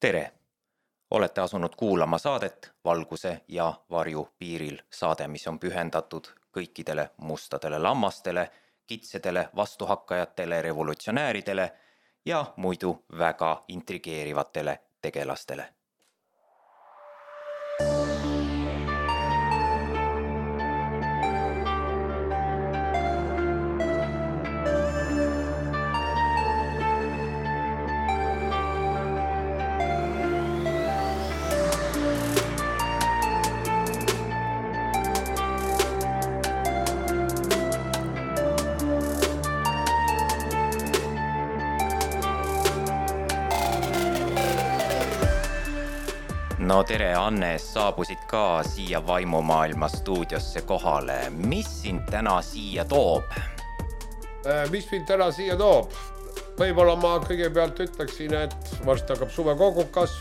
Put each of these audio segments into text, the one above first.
Tere! Olete asunud kuulama saadet Valguse ja varju piiril. Saade, mis on pühendatud kõikidele mustadele lammastele, kitsedele vastuhakkajatele, revolutsionääridele ja muidu väga intrigeerivatele tegelastele. No tere, Annes, saabusid ka siia vaimumaailma stuudiosse kohale. Mis sind täna siia toob? Mis mind täna siia toob? Võib-olla ma kõigepealt ütleksin, et varsti hakkab suvekogukas.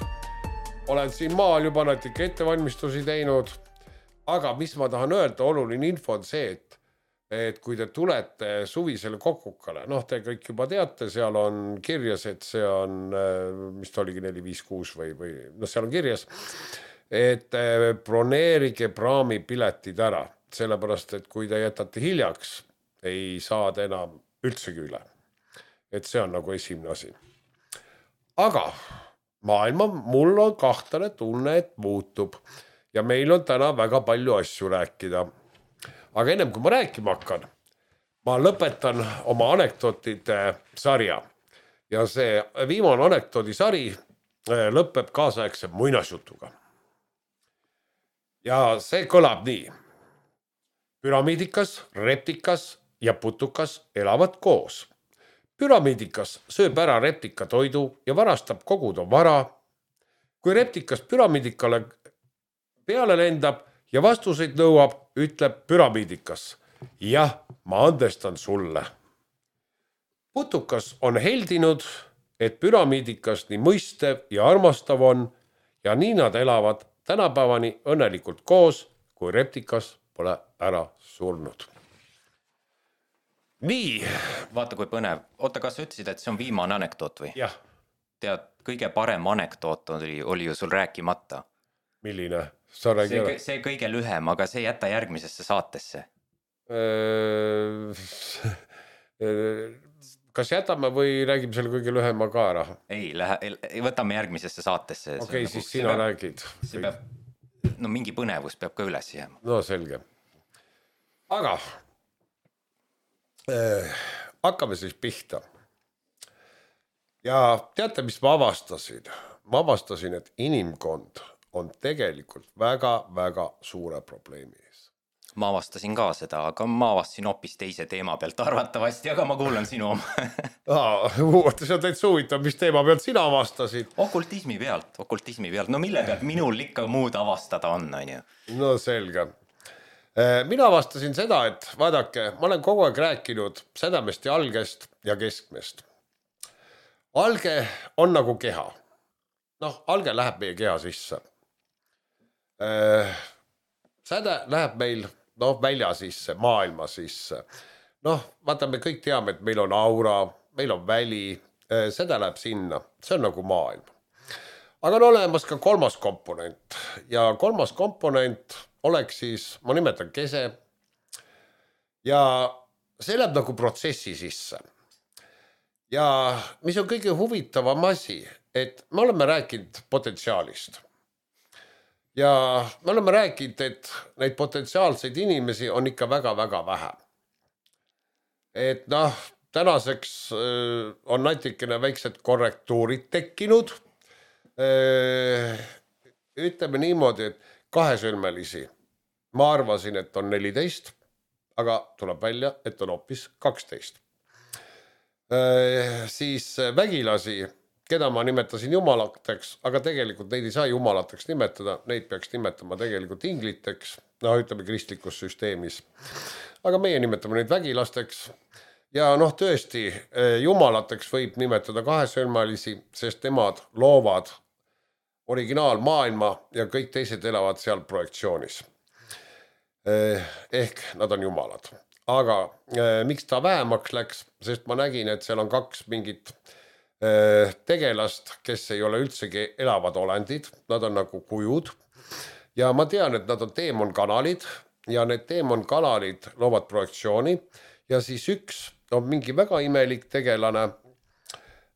Olen siin maal juba natuke ettevalmistusi teinud. Aga mis ma tahan öelda, oluline info on see, et kui te tulete suvisele kokukale, te kõik juba teate, seal on kirjas, et see on, mis ta oligi 456 või seal on kirjas, et broneerige praamipiletid ära, sellepärast, et kui te jätate hiljaks, ei saa te enam üldsegi üle. Et see on nagu esimene asi. Aga maailma mul on kahtlane tunne, et muutub ja meil on täna väga palju asju rääkida. Aga ennem kui ma rääkima hakkan, ma lõpetan oma anekdootide sarja. Ja see viimane anekdoodisari lõpeb kaasaegse muinasjutuga. Ja see kõlab nii. Püramiidikas, reptikas ja putukas elavad koos. Püramiidikas sööb ära reptika toidu ja varastab koguda vara. Kui reptikas püramiidikale peale lendab ja vastuseid nõuab, ütleb püramiidikas. Jah, ma andestan sulle. Putukas on heldinud, et püramiidikas nii mõistev ja armastav on ja nii nad elavad tänapäevani õnnelikult koos, kui reptikas pole ära surnud. Nii. Vaata kui põnev. Oota, kas sa ütlesid, et see on viimane anekdoot või? Jah. Tead, kõige parem anekdoot oli ju sul rääkimata. Milline? See kõige lühem, aga see jätta järgmisesse saatesse. Kas jätame või räägime selle kõige lühema ka ära? Ei, võtame järgmisesse saatesse. Okei, siis sina räägid. Mingi põnevus peab ka üles jääma. No selge. Aga hakkame siis pihta. Ja teate, mis ma avastasin? Ma avastasin, et inimkond on tegelikult väga suure probleemi ees. Ma avastasin ka seda, aga ma avastasin hoopis teise teema pealt arvatavasti, aga ma kuulan sinu oma. See on täitsa huvitav, mis teema pealt sina avastasid? Okultismi pealt. No mille pealt minul ikka muud avastada on ju? No selge. Mina avastasin seda, et vaadake, ma olen kogu aeg rääkinud sädemest ja algest ja keskmest. Alge on nagu keha. Alge läheb meie keha sisse. Säde läheb meil välja sisse, maailma sisse. Vaata, me kõik teame, et meil on aura, meil on väli, säde läheb sinna. See on nagu maailm. Aga on olemas ka kolmas komponent. Ja kolmas komponent oleks siis, ma nimetan kese. Ja see läheb nagu protsessi sisse. Ja mis on kõige huvitavam asi, et me oleme rääkinud potentsiaalist. Ja me oleme rääkinud, et neid potentsiaalseid inimesi on ikka väga vähe. Et tänaseks on natikene väiksed korrektuurid tekkinud. Ütleme niimoodi, et kahesõlmelisi. Ma arvasin, et on 14, aga tuleb välja, et on hoopis 12. Siis vägilasi, keda ma nimetasin jumalateks, aga tegelikult neid ei saa jumalateks nimetada, neid peaks nimetama tegelikult ingliteks, ütleme kristlikus süsteemis. Aga meie nimetame neid vägilasteks ja tõesti jumalateks võib nimetada kahesõlmelisi, sest nemad loovad originaalmaailma ja kõik teised elavad seal projektsioonis. Ehk nad on jumalad. Aga miks ta vähemaks läks, sest ma nägin, et seal on kaks mingit tegelast, kes ei ole üldsegi elavad olendid, nad on nagu kujud ja ma tean, et nad on teemonkanalid ja need teemonkanalid loovad projektsiooni ja siis üks on mingi väga imelik tegelane,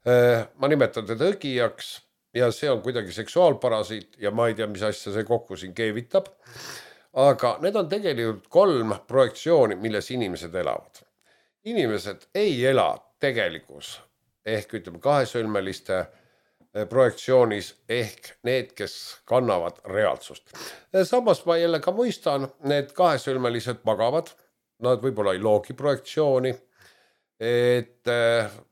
ma nimetan teda õgijaks ja see on kuidagi seksuaalparasiit ja ma ei tea, mis asja see kokku siin keevitab, aga need on tegelikult 3 projektsiooni, milles inimesed elavad. Inimesed ei ela tegelikus ehk ütleme kahesõlmeliste projektsioonis ehk need, kes kannavad reaalsust. Samas ma jälle ka mõistan, need kahesõlmelised magavad, nad võib-olla ei loogi projektsiooni, et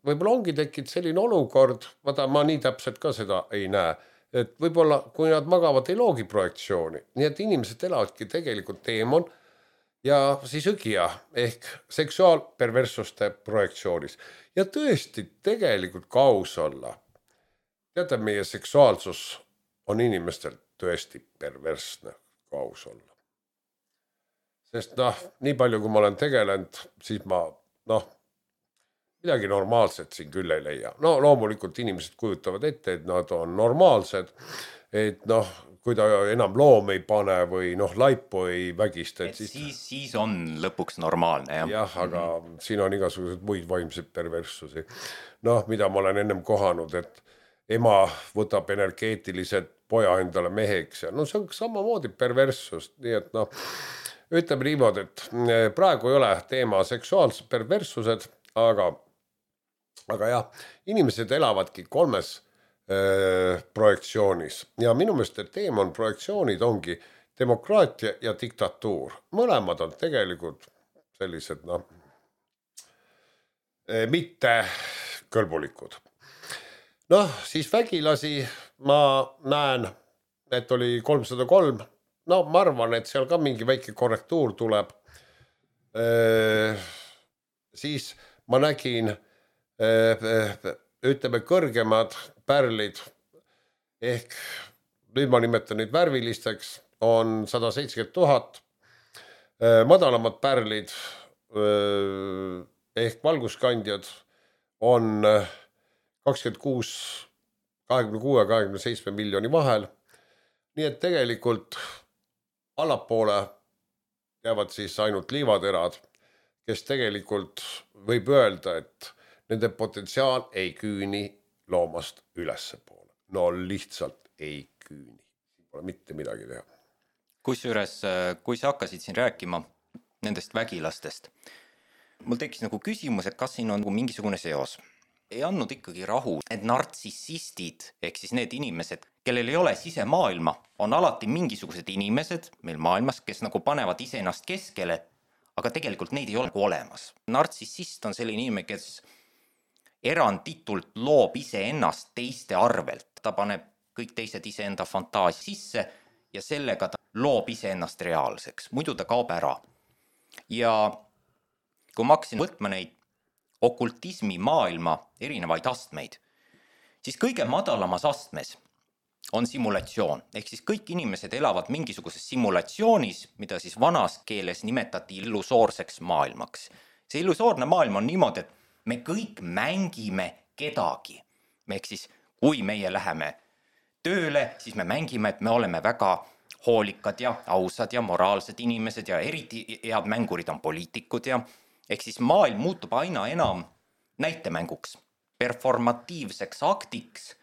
võib-olla ongi tekkinud selline olukord, vaata ma nii täpselt ka seda ei näe, et võib-olla kui nad magavad, ei loogi projektsiooni, nii et inimesed elavadki tegelikult teemon ja siis õgija ehk seksuaalperverssuste projektsioonis. Ja tõesti tegelikult ka aus olla. Teate, meie seksuaalsus on inimestel tõesti perversne ka aus olla. Sest nii palju kui ma olen tegelenud, siis ma midagi normaalset siin küll ei leia. No loomulikult inimesed kujutavad ette, et nad on normaalsed, et kui ta enam loom ei pane või laipu ei vägista. Siis on lõpuks normaalne. Jah, aga siin on igasugused muid vaimseid perverssusi. Mida ma olen ennem kohanud, et ema võtab energeetilised poja endale meheks ja see on samamoodi perverssus. Nii et ütleme niimoodi, et praegu ei ole teema seksuaalsed perverssused, aga jah, inimesed elavadki 3 projektsioonis ja minu meelest teemon projektsioonid ongi demokraatia ja diktatuur. Mõlemad on tegelikult sellised mitte kõlbulikud. Siis vägilasi ma näen, et oli 303. Ma arvan, et seal ka mingi väike korrektuur tuleb. Siis ma nägin ütleme kõrgemad pärlid ehk nüüd ma nimetan neid värvilisteks on 170 000, madalamad pärlid ehk valguskandjad on 26 ja 27 miljoni vahel. Nii et tegelikult allapoole jäävad siis ainult liivaterad, kes tegelikult võib öelda, et nende potentsiaal ei küüni loomast ülesse poole. Lihtsalt ei küüni. Pole mitte midagi teha. Kusjuures, kui sa hakkasid siin rääkima nendest vägilastest, mul tekkis küsimus, et kas siin on mingisugune seos. Ei andnud ikkagi rahu, et nartsissistid, ehk siis need inimesed, kellel ei ole sisemaailma, on alati mingisugused inimesed meil maailmas, kes panevad iseennast keskele, aga tegelikult neid ei ole olemas. Nartsissist on selline inimene, kes eranditult loob iseennast teiste arvelt. Ta paneb kõik teised iseenda fantaasia sisse ja sellega ta loob iseennast reaalseks. Muidu ta kaob ära. Ja kui ma hakkasin võtma neid okultismi maailma erinevaid astmeid, siis kõige madalamas astmes on simulatsioon. Ehk siis kõik inimesed elavad mingisuguses simulatsioonis, mida siis vanas keeles nimetati illusoorseks maailmaks. See illusoorne maailm on niimoodi, et me kõik mängime kedagi. Ehk siis, kui meie läheme tööle, siis me mängime, et me oleme väga hoolikad ja ausad ja moraalsed inimesed ja eriti head mängurid on poliitikud ja ehk siis maailm muutub aina enam näitemänguks, performatiivseks aktiks,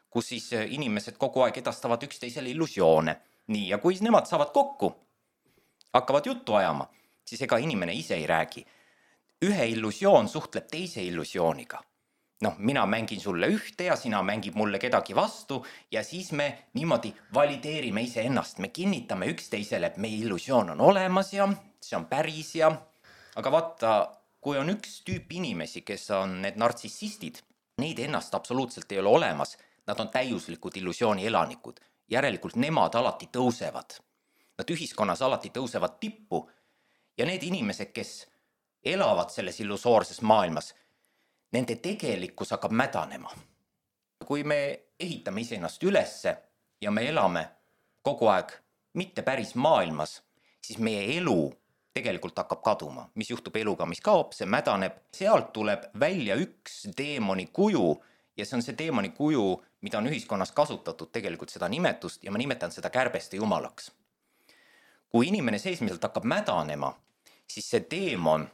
kus siis inimesed kogu aeg edastavad üksteisele illusioone. Nii, ja kui nemad saavad kokku, hakkavad juttu ajama, siis ega inimene ise ei räägi. Ühe illusioon suhtleb teise illusiooniga. Mina mängin sulle ühte ja sina mängib mulle kedagi vastu ja siis me niimoodi valideerime ise ennast. Me kinnitame üksteisele, et meie illusioon on olemas ja see on päris ja... Aga vaata, kui on üks tüüp inimesi, kes on need nartsissistid, neid ennast absoluutselt ei ole olemas. Nad on täiuslikud illusiooni elanikud. Järelikult nemad alati tõusevad. Nad ühiskonnas alati tõusevad tippu ja need inimesed, kes elavad selles illusoorses maailmas, nende tegelikkus hakkab mädanema. Kui me ehitame iseennast ülesse ja me elame kogu aeg mitte päris maailmas, siis meie elu tegelikult hakkab kaduma. Mis juhtub eluga, mis kaob, see mädaneb. Sealt tuleb välja üks teemoni kuju ja see on see teemani kuju, mida on ühiskonnas kasutatud tegelikult seda nimetust ja ma nimetan seda kärbeste jumalaks. Kui inimene seesmiselt hakkab mädanema, siis see teemon,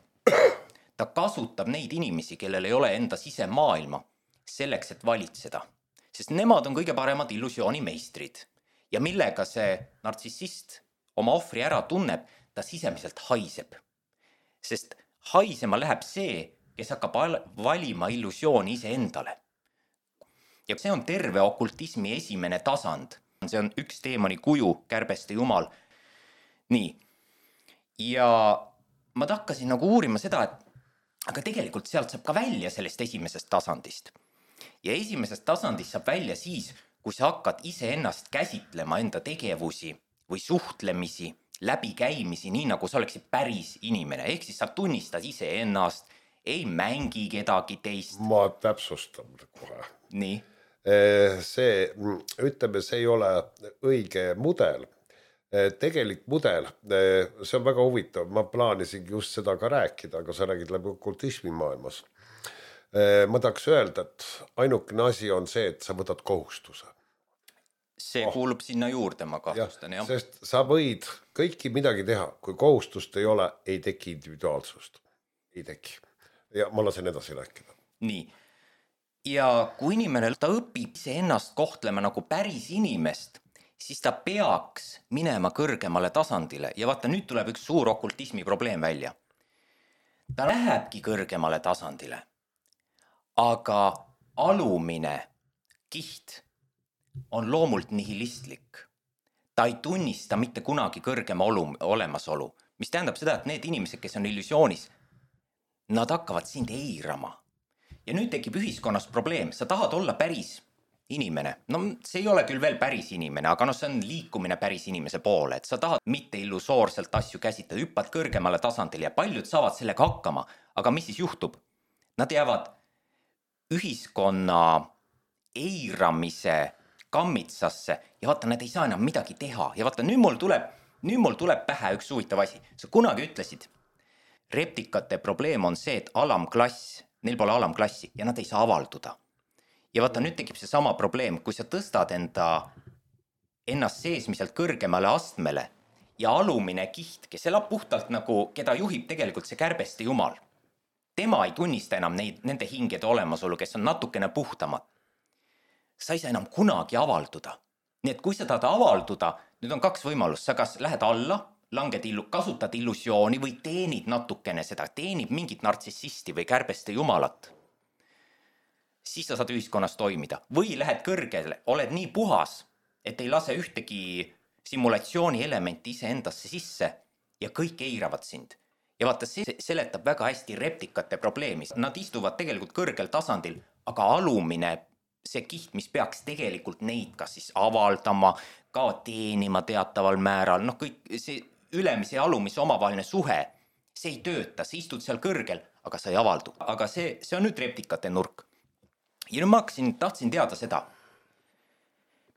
ta kasutab neid inimesi, kellel ei ole enda sisemaailma selleks, et valitseda. Sest nemad on kõige paremad illusioonimeistrid. Ja millega see nartsissist oma ohvri ära tunneb, ta sisemiselt haiseb. Sest haisema läheb see, kes hakkab valima illusiooni ise endale. Ja see on terve okultismi esimene tasand. See on üks teemani kuju, kärbeste jumal. Nii. Ja ma hakkasin nagu uurima seda, et aga tegelikult sealt saab ka välja sellest esimesest tasandist. Ja esimesest tasandist saab välja siis, kui sa hakkad iseennast käsitlema enda tegevusi või suhtlemisi, läbikäimisi, nii nagu sa oleksid päris inimene. Ehk siis sa tunnistad iseennast, ei mängi kedagi teist. Ma täpsustan kohe. Nii. See, ütleme, see ei ole õige mudel. Tegelik mudel, see on väga huvitav. Ma plaanisin just seda ka rääkida, aga sa räägid läbi okultismi maailmas. Ma tahaks öelda, et ainukene asi on see, et sa võtad kohustuse. See kuulub sinna juurde, ma kahtlustan. Ja, sest sa võid kõiki midagi teha. Kui kohustust ei ole, ei teki individuaalsust. Ei teki. Ja ma lasen edasi rääkida. Nii. Ja kui inimene ta õpib ennast kohtlema nagu päris inimest, siis ta peaks minema kõrgemale tasandile. Ja vaata, nüüd tuleb üks suur okultismi probleem välja. Ta lähebki kõrgemale tasandile. Aga alumine kiht on loomult nihilistlik. Ta ei tunnista mitte kunagi kõrgema olemasolu, mis tähendab seda, et need inimesed, kes on illusioonis, nad hakkavad sind eirama. Ja nüüd tekib ühiskonnas probleem, sa tahad olla päris inimene. No see ei ole küll veel päris inimene, aga see on liikumine päris inimese poole, et sa tahad mitte illusoorselt asju käsitleda, hüppad kõrgemale tasandile ja paljud saavad sellega hakkama. Aga mis siis juhtub? Nad jäävad ühiskonna eiramise kammitsasse ja vaata, nad ei saa enam midagi teha. Ja vaata, nüüd mul tuleb pähe üks huvitav asi. Sa kunagi ütlesid, reptikate probleem on see, et alamklass, neil pole alamklassi ja nad ei saa avalduda. Ja vaata, nüüd tekib see sama probleem, kui sa tõstad ennast seesmiselt kõrgemale astmele ja alumine kiht, kes elab puhtalt nagu, keda juhib tegelikult see kärbeste jumal. Tema ei tunnista enam nende hingede olemasolu, kes on natukene puhtamad. Sa ei saa enam kunagi avalduda. Nii et kui sa tahad avalduda, nüüd on kaks võimalust. Sa kas lähed alla, kasutad illusiooni või teenid natukene seda, teenid mingit nartsissisti või kärbeste jumalat. Siis sa saad ühiskonnas toimida. Või lähed kõrgele, oled nii puhas, et ei lase ühtegi simulatsiooni elementi ise endasse sisse ja kõik eiravad sind. Ja vaata, see seletab väga hästi reptikate probleemi. Nad istuvad tegelikult kõrgel tasandil, aga alumine, see kiht, mis peaks tegelikult neid kas siis avaldama, ka teenima teataval määral, kõik see ülemise ja alumise omavaheline suhe, see ei tööta, sa istud seal kõrgel, aga sa ei avaldu. Aga see on nüüd reptikate nurk. Ja nüüd ma tahtsin teada seda,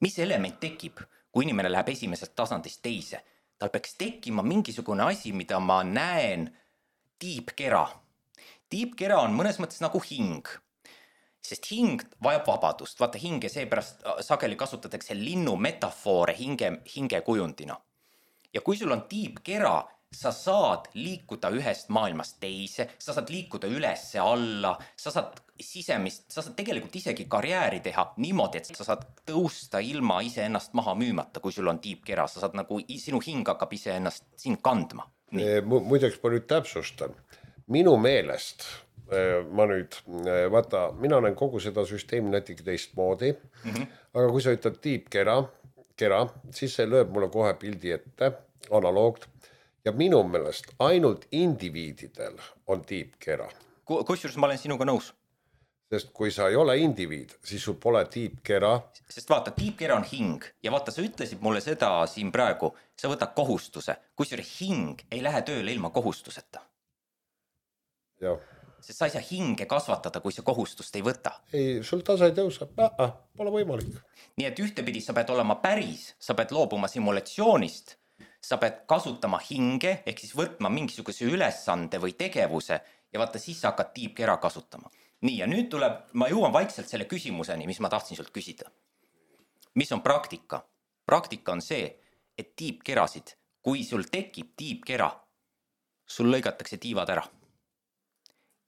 mis element tekib, kui inimene läheb esimesest tasandist teise. Tal peaks tekkima mingisugune asi, mida ma näen tiibkera. Tiibkera on mõnes mõttes nagu hing, sest hing vajab vabadust. Vaata, hinge seepärast sageli kasutatakse linnu metafoore hinge kujundina. Ja kui sul on tiibkera, sa saad liikuda ühest maailmast teise, sa saad liikuda ülesse alla, sa saad tegelikult isegi karjääri teha niimoodi, et sa saad tõusta ilma ise ennast maha müümata, kui sul on tiibkera, sa saad nagu, sinu hing hakkab ise ennast siin kandma. Muideks ma nüüd täpsustan. Minu meelest, vaata, mina olen kogu seda süsteemi natuke teistmoodi, aga kui sa ütled tiibkera, siis see lööb mulle kohe pildi ette, analoogt. Ja minu meelest ainult indiviididel on tiibkera. Kusjuures ma olen sinuga nõus. Sest kui sa ei ole indiviid, siis sul pole tiibkera. Sest vaata, tiibkera on hing ja vaata, sa ütlesid mulle seda siin praegu, sa võtad kohustuse, kusjuures hing ei lähe tööle ilma kohustuseta. Jah. Sest sa ei saa hinge kasvatada, kui sa kohustust ei võta. Ei, sul tase ei tõusa, pole võimalik. Nii et ühtepidi sa pead olema päris, sa pead loobuma simulatsioonist, sa pead kasutama hinge, ehk siis võtma mingisuguse ülesande või tegevuse ja vaata, siis sa hakkad tiibkera kasutama. Nii, ja nüüd ma jõuan vaikselt selle küsimuseni, mis ma tahtsin sult küsida. Mis on praktika? Praktika on see, et tiibkerasid, kui sul tekib tiibkera, sul lõigatakse tiivad ära.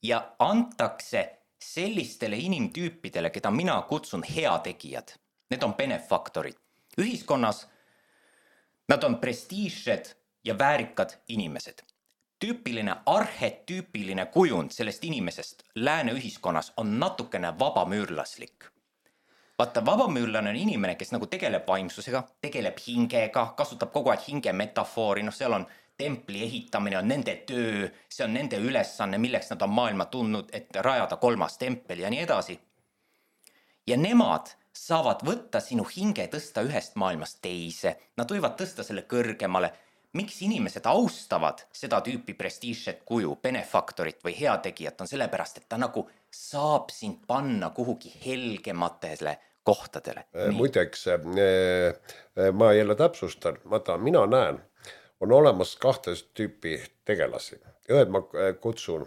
Ja antakse sellistele inimtüüpidele, keda mina kutsun heategijad. Need on benefaktorid. Ühiskonnas nad on prestiižsed ja väärikad inimesed. Arhetüüpiline kujund sellest inimesest lääne ühiskonnas on natukene vabamüürlaslik. Vaata, vabamüürlane on inimene, kes nagu tegeleb vaimsusega, tegeleb hingega, kasutab kogu aeg hinge metafoori, seal on templi ehitamine, on nende töö, see on nende ülesanne, milleks nad on maailma tundnud, et rajada 3. tempel ja nii edasi. Ja nemad saavad võtta sinu hinge tõsta ühest maailmast teise, nad võivad tõsta selle kõrgemale. Miks inimesed austavad seda tüüpi prestiižset kuju, benefaktorit või heategijat on sellepärast, et ta nagu saab sind panna kuhugi helgematele kohtadele. Muideks, ma jälle täpsustan, mina näen, on olemas 2 tüüpi tegelasi. Ühed ma kutsun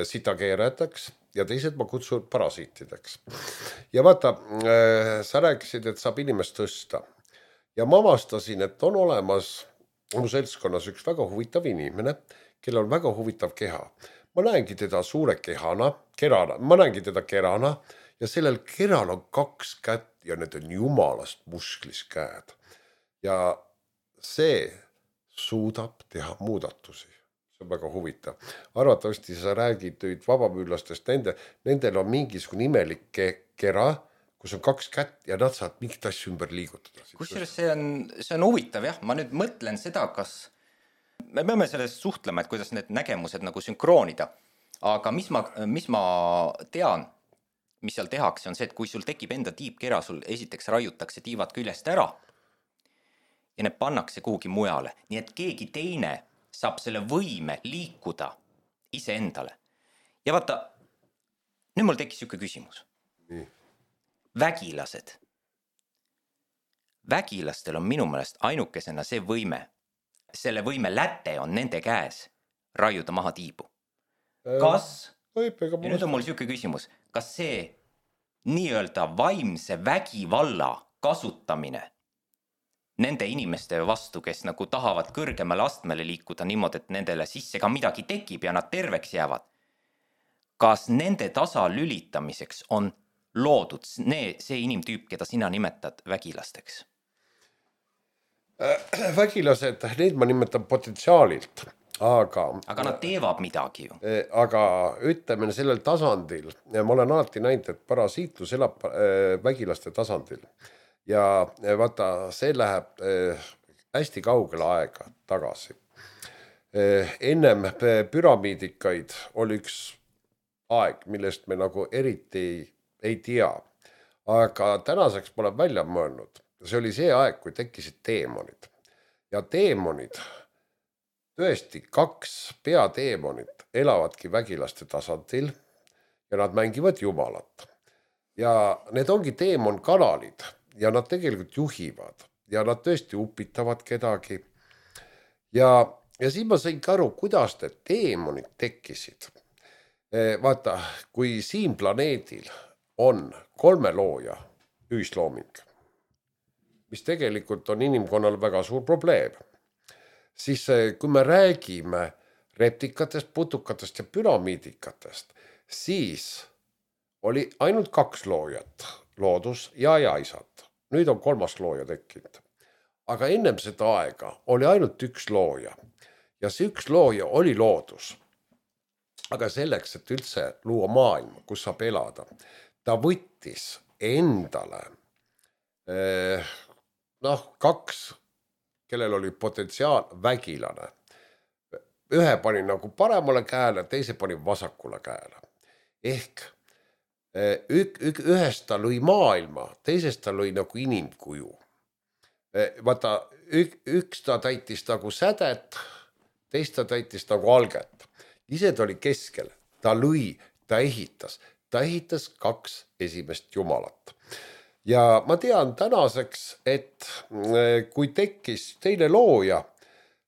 sitakeerajateks ja teised ma kutsun parasiitideks. Ja vaata, sa rääkisid, et saab inimest tõsta. Ja ma avastasin, et on olemas mu seltskonnas üks väga huvitav inimene, kellel on väga huvitav keha. Ma näengi teda suure kerana, ma näengi teda kerana ja sellel keral on 2 kätt ja need on jumalast musklis käed. Ja see suudab teha muudatusi. See on väga huvitav. Arvatavasti sa räägid nüüd vabamüürlastest, nendel on mingisugune imelik kera, kus on 2 kätt ja nad saavad mingit asju ümber liigutada. Kusjuures see on huvitav, jah. Ma nüüd mõtlen seda, kas me peame sellest suhtlema, et kuidas need nägemused nagu sünkroonida. Aga mis ma tean, mis seal tehakse, on see, et kui sul tekib enda tiibkera, sul esiteks raiutakse tiivad küljest ära ja need pannakse kuhugi mujale. Nii et keegi teine saab selle võime liikuda iseendale. Ja vaata, nüüd mul tekkis siuke küsimus. Vägilased. Vägilastel on minu meelest ainukesena see võime, selle võime läte on nende käes raiuda maha tiibu. Kas, ja nüüd on mul siuke küsimus, kas see nii-öelda vaimse vägivalla kasutamine nende inimeste vastu, kes nagu tahavad kõrgemale astmele liikuda niimoodi, et nendele sisse ka midagi tekib ja nad terveks jäävad, kas nende tasalülitamiseks on loodud see inimtüüp, keda sina nimetad vägilasteks? Vägilased, neid ma nimetan potentsiaalilt, aga nad teevad midagi ju. Aga ütleme sellel tasandil, ma olen alati näinud, et parasiitlus elab vägilaste tasandil. Ja vaata, see läheb hästi kaugele aega tagasi. Ennem püramiidikaid oli üks aeg, millest me nagu eriti ei tea, aga tänaseks ma olen välja mõelnud. See oli see aeg, kui tekkisid teemonid. Ja teemonid, tõesti 2 peateemonid elavadki vägilaste tasandil ja nad mängivad jumalat. Ja need ongi teemonkanalid ja nad tegelikult juhivad ja nad tõesti upitavad kedagi. Ja siis ma sain aru, kuidas need teemonid tekkisid. Vaata, kui siin planeedil on 3 looja ühislooming, mis tegelikult on inimkonnal väga suur probleem, siis kui me räägime reptikatest, putukatest ja püramiidikatest, siis oli ainult 2 loojat, loodus ja ajaisad. Nüüd on 3. looja tekkinud. Aga ennem seda aega oli ainult 1 looja ja see 1 looja oli loodus. Aga selleks, et üldse luua maailma, kus saab elada, ta võttis endale 2, kellel oli potentsiaal vägilane. Ühe pani nagu paremale käele, teise pani vasakule käele. Ehk ühest ta lõi maailma, teisest ta lõi nagu inimkuju. Vaata, üks ta täitis nagu sädet, teist ta täitis nagu alget. Ise ta oli keskel, ta lõi, ta ehitas 2 esimest jumalat. Ja ma tean tänaseks, et kui tekkis teine looja,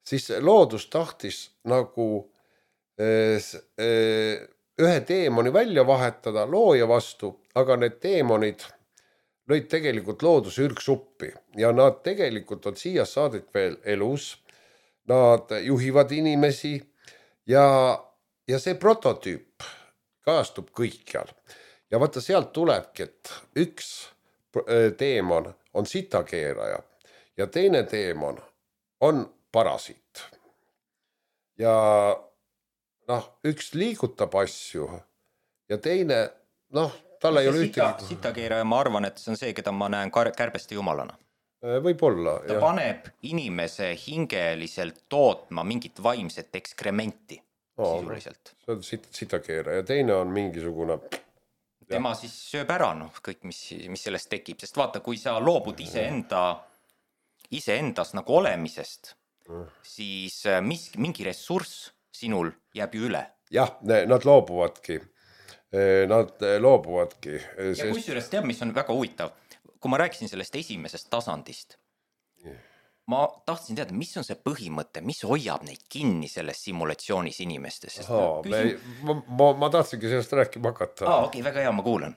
siis loodus tahtis nagu ühe teemoni välja vahetada looja vastu, aga need teemonid lõid tegelikult looduse ürgsuppi ja nad tegelikult on siia saadet veel elus. Nad juhivad inimesi ja see prototüüp kajastub kõikjal. Ja vaata sealt tulebki, et üks teemon on sitakeeraja ja teine teemon on parasiit. Ja üks liigutab asju ja teine, tal ei ole ühtegi... Sitakeeraja, ma arvan, et see on see, keda ma näen kärbeste jumalana. Võib-olla. Ta paneb inimese hingeliselt tootma mingit vaimset ekskrementi sisuliselt. See on sitakeeraja ja teine on mingisugune... Tema siis sööb ära, kõik, mis sellest tekib. Sest vaata, kui sa loobud iseendas nagu olemisest, siis mingi ressurss sinul jääb ju üle. Jah, nad loobuvadki. Ja kusjuures teab, mis on väga huvitav. Kui ma rääkisin sellest esimesest tasandist, ma tahtsin teada, mis on see põhimõte, mis hoiab neid kinni selles simulatsioonis inimestes. Ma tahtsingi sellest rääkima hakata. Okei, väga hea, ma kuulen.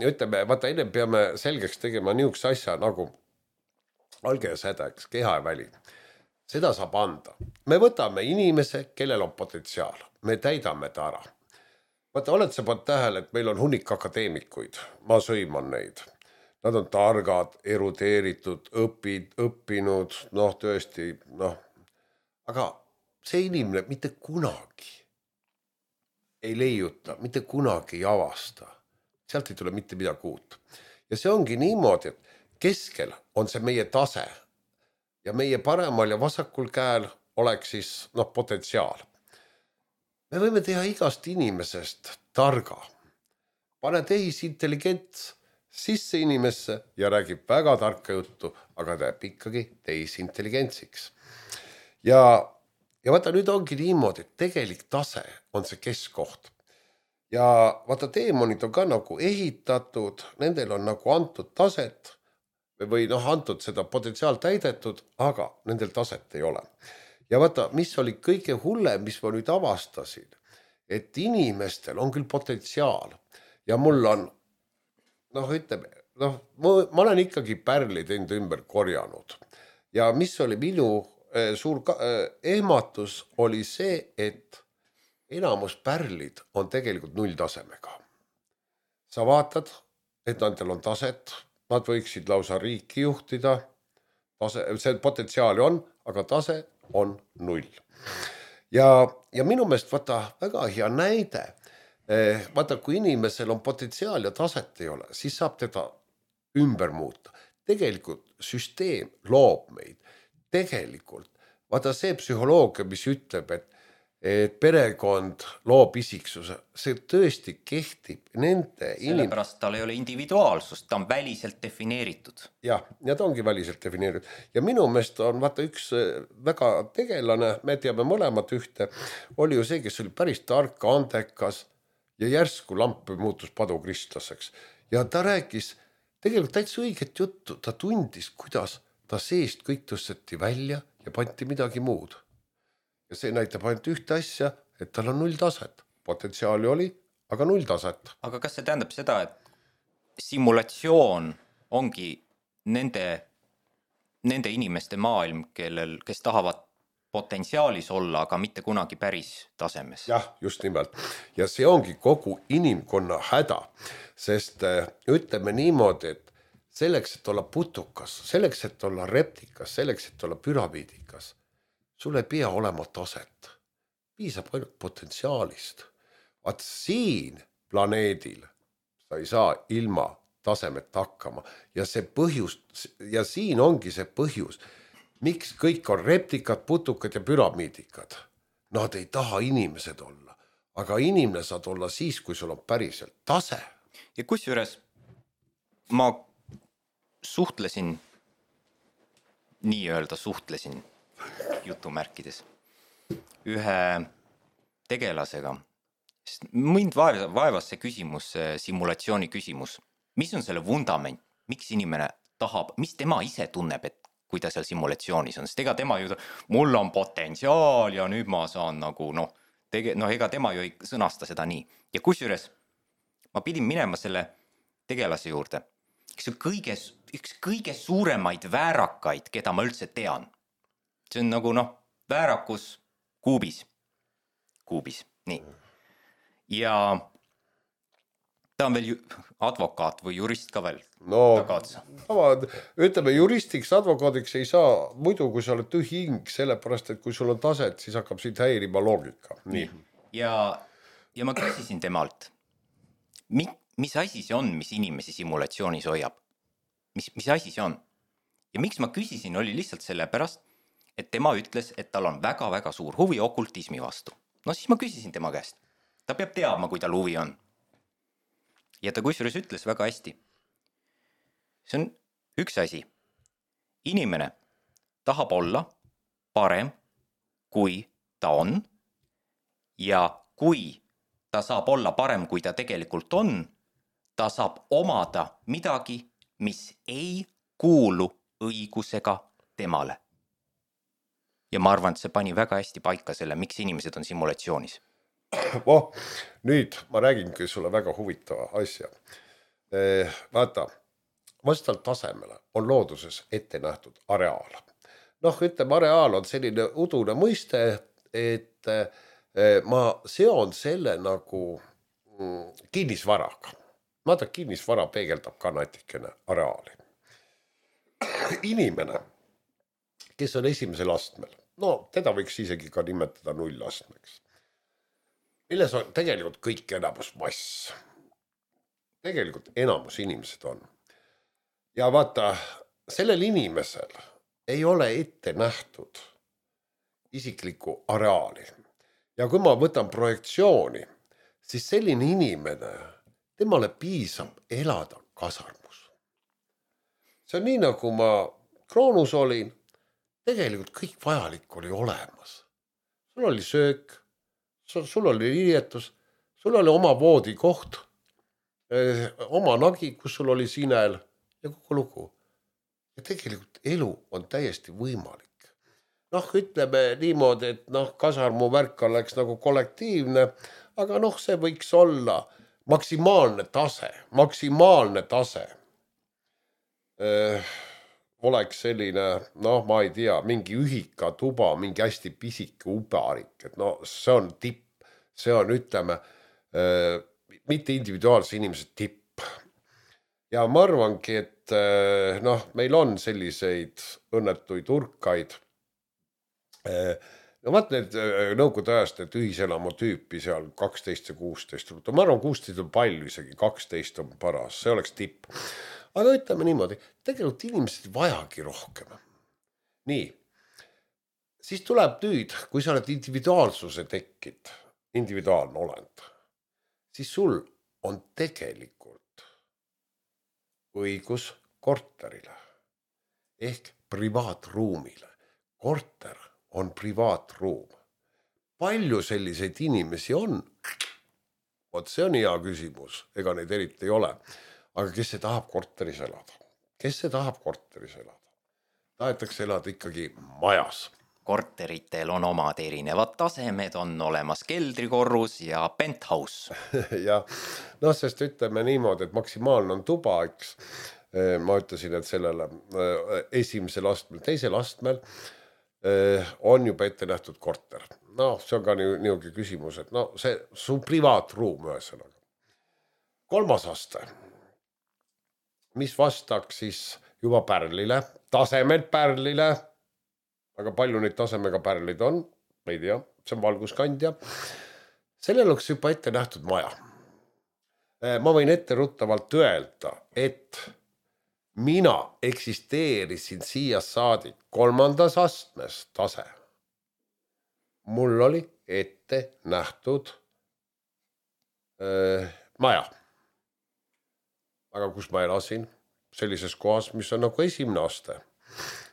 Ütleme, vaata, enne peame selgeks tegema niisuguse asja nagu alge ja sädeks, keha ja väli. Seda saab anda. Me võtame inimese, kellel on potentsiaal. Me täidame ta ära. Vaata, oled sa pannud tähele, et meil on hunnik akadeemikuid. Ma sõiman neid. Nad on targad, erudeeritud, õppinud, tõesti, Aga see inimene mitte kunagi ei leiuta, mitte kunagi ei avasta. Sealt ei tule mitte midagi uut. Ja see ongi niimoodi, et keskel on see meie tase ja meie paremal ja vasakul käel oleks siis potentsiaal. Me võime teha igast inimesest targa. Pane tehisintelligents sisse inimesse ja räägib väga tarka juttu, aga teeb ikkagi tehisintelligentsiks. Ja vaata, nüüd ongi niimoodi, et tegelik tase on see keskkoht. Ja vaata, teemonid on ka nagu ehitatud, nendel on nagu antud taset või antud seda potentsiaal täidetud, aga nendel taset ei ole. Ja vaata, mis oli kõige hullem, mis ma nüüd avastasin, et inimestel on küll potentsiaal ja mul on ma olen ikkagi pärlid enda ümber korjanud. Ja mis oli minu suur ehmatus oli see, et enamus pärlid on tegelikult nulltasemega. Sa vaatad, et nendel on taset, nad võiksid lausa riiki juhtida, see potentsiaali on, aga tase on null. Ja minu meelest vaata väga hea näide, vaata, kui inimesel on potentsiaal ja taset ei ole, siis saab teda ümber muuta. Tegelikult süsteem loob meid. Tegelikult, vaata see psühholoogia, mis ütleb, et perekond loob isiksuse, see tõesti kehtib nende sellepärast tal ei ole individuaalsust, ta on väliselt defineeritud. Ja ta ongi väliselt defineeritud. Ja minu meelest on vaata üks väga tegelane, me teame mõlemad ühte, oli ju see, kes oli päris tark, andekas, ja järsku lamp muutus padukristlaseks. Ja ta rääkis tegelikult täitsa õiget juttu. Ta tundis, kuidas ta seest kõik tõsteti välja ja panti midagi muud. Ja see näitab ainult ühte asja, et tal on nulltaset. Potentsiaali oli, aga nulltaset. Aga kas see tähendab seda, et simulatsioon ongi nende inimeste maailm, kes tahavad potentsiaalis olla, aga mitte kunagi päris tasemes? Jah, just nimelt. Ja see ongi kogu inimkonna häda, sest ütleme niimoodi, et selleks, et olla putukas, selleks, et olla reptikas, selleks, et olla püramiidikas, sul ei pea olema taset. Piisab ainult potentsiaalist. Vaat siin planeedil sa ei saa ilma tasemet hakkama. Ja see põhjus, ja siin ongi see põhjus, miks kõik on reptikad, putukad ja püramiidikad. Nad ei taha inimesed olla, aga inimene saad olla siis, kui sul on päriselt tase. Ja kusjuures ma suhtlesin jutumärkides ühe tegelasega. Mind vaevas see küsimus, simulatsiooni küsimus. Mis on selle vundament? Miks inimene tahab, mis tema ise tunneb, et kui ta seal simulatsioonis on? Sest ega tema ju, mul on potentsiaal ja nüüd ma saan nagu ega tema ju ei sõnasta seda nii. Ja kusjuures ma pidin minema selle tegelase juurde, kes on üks kõige suuremaid väärakaid, keda ma üldse tean. See on nagu väärakus kuubis, nii. Ja ta on veel advokaat või jurist ka veel. Ütleme, juristiks, advokaadiks ei saa muidu, kui sa oled tühi hing, sellepärast, et kui sul on taset, siis hakkab sind häirima loogika. Nii. Ja ma küsisin temalt, mis asi see on, mis inimesi simulatsioonis hoiab? Mis asi see on? Ja miks ma küsisin, oli lihtsalt sellepärast, et tema ütles, et tal on väga-väga suur huvi okultismi vastu. Siis ma küsisin tema käest. Ta peab teadma, kui tal huvi on. Ja ta kusjuures ütles väga hästi. See on üks asi. Inimene tahab olla parem, kui ta on. Ja kui ta saab olla parem, kui ta tegelikult on, ta saab omada midagi, mis ei kuulu õigusega temale. Ja ma arvan, et see pani väga hästi paika selle, miks inimesed on simulatsioonis. Nüüd ma räägingi sulle väga huvitava asja. Vaata, vastavalt tasemele on looduses ette nähtud areaal. Ütleme, areaal on selline udune mõiste, et ma seon selle nagu kinnisvaraga. Vaata, kinnisvara peegeldab ka natikene areaali. Inimene, kes on esimesel astmel, teda võiks isegi ka nimetada nullastmeks. Milles on tegelikult kõik enamus mass. Tegelikult enamus inimesed on. Ja vaata, sellel inimesel ei ole ette nähtud isiklikku areaali. Ja kui ma võtan projektsiooni, siis selline inimene, temale piisab elada kasarmus. See on nii, nagu ma Kroonus olin, tegelikult kõik vajalik oli olemas. Sul oli söök, sul oli riietus, sul oli oma voodikoht, oma nagi, kus sul oli sinel ja kogu lugu. Ja tegelikult elu on täiesti võimalik. Ütleme niimoodi, et kasarmu värk oleks nagu kollektiivne, aga see võiks olla maksimaalne tase. Oleks selline, ma ei tea, mingi ühika tuba, mingi hästi pisike ubarik, et see on tipp, see on, ütleme, mitte individuaalse inimese tipp. Ja ma arvangi, et meil on selliseid õnnetuid urkaid. Vaat need nõukogude ajast, need ühiselamu tüüpi seal 12 ja 16. Ma arvan, 16 on palju isegi, 12 on paras, see oleks tipp. Aga ütleme niimoodi, tegelikult inimesed vajagi rohkem. Nii, siis tuleb nüüd, kui sa oled individuaalsuse tekkid, individuaalne olend, siis sul on tegelikult õigus korterile ehk privaatruumile. Korter on privaatruum. Palju selliseid inimesi on? See on hea küsimus, ega neid eriti ei ole. Aga kes see tahab korteris elada? Tahetakse elada ikkagi majas. Korteritel on omad erinevad tasemed, on olemas keldrikorrus ja penthouse. Ja, sest ütleme niimoodi, et maksimaalne on tuba, eks. Ma ütlesin, et sellele esimesel astmel, teisel astmel on juba ette nähtud korter. See on ka niugi küsimus, et see su privaatruum ühesõnaga. 3. aste. Mis vastaks siis juba pärlile, tasemelt pärlile, aga palju neid tasemega pärlid on, ma ei tea, see on valguskandja. Sellel oleks juba ette nähtud maja. Ma võin etteruttavalt öelda, et mina eksisteerisin siia saadik 3. astmes tase. Mul oli ette nähtud maja. Aga kus ma elasin? Sellises kohas, mis on nagu esimene aste.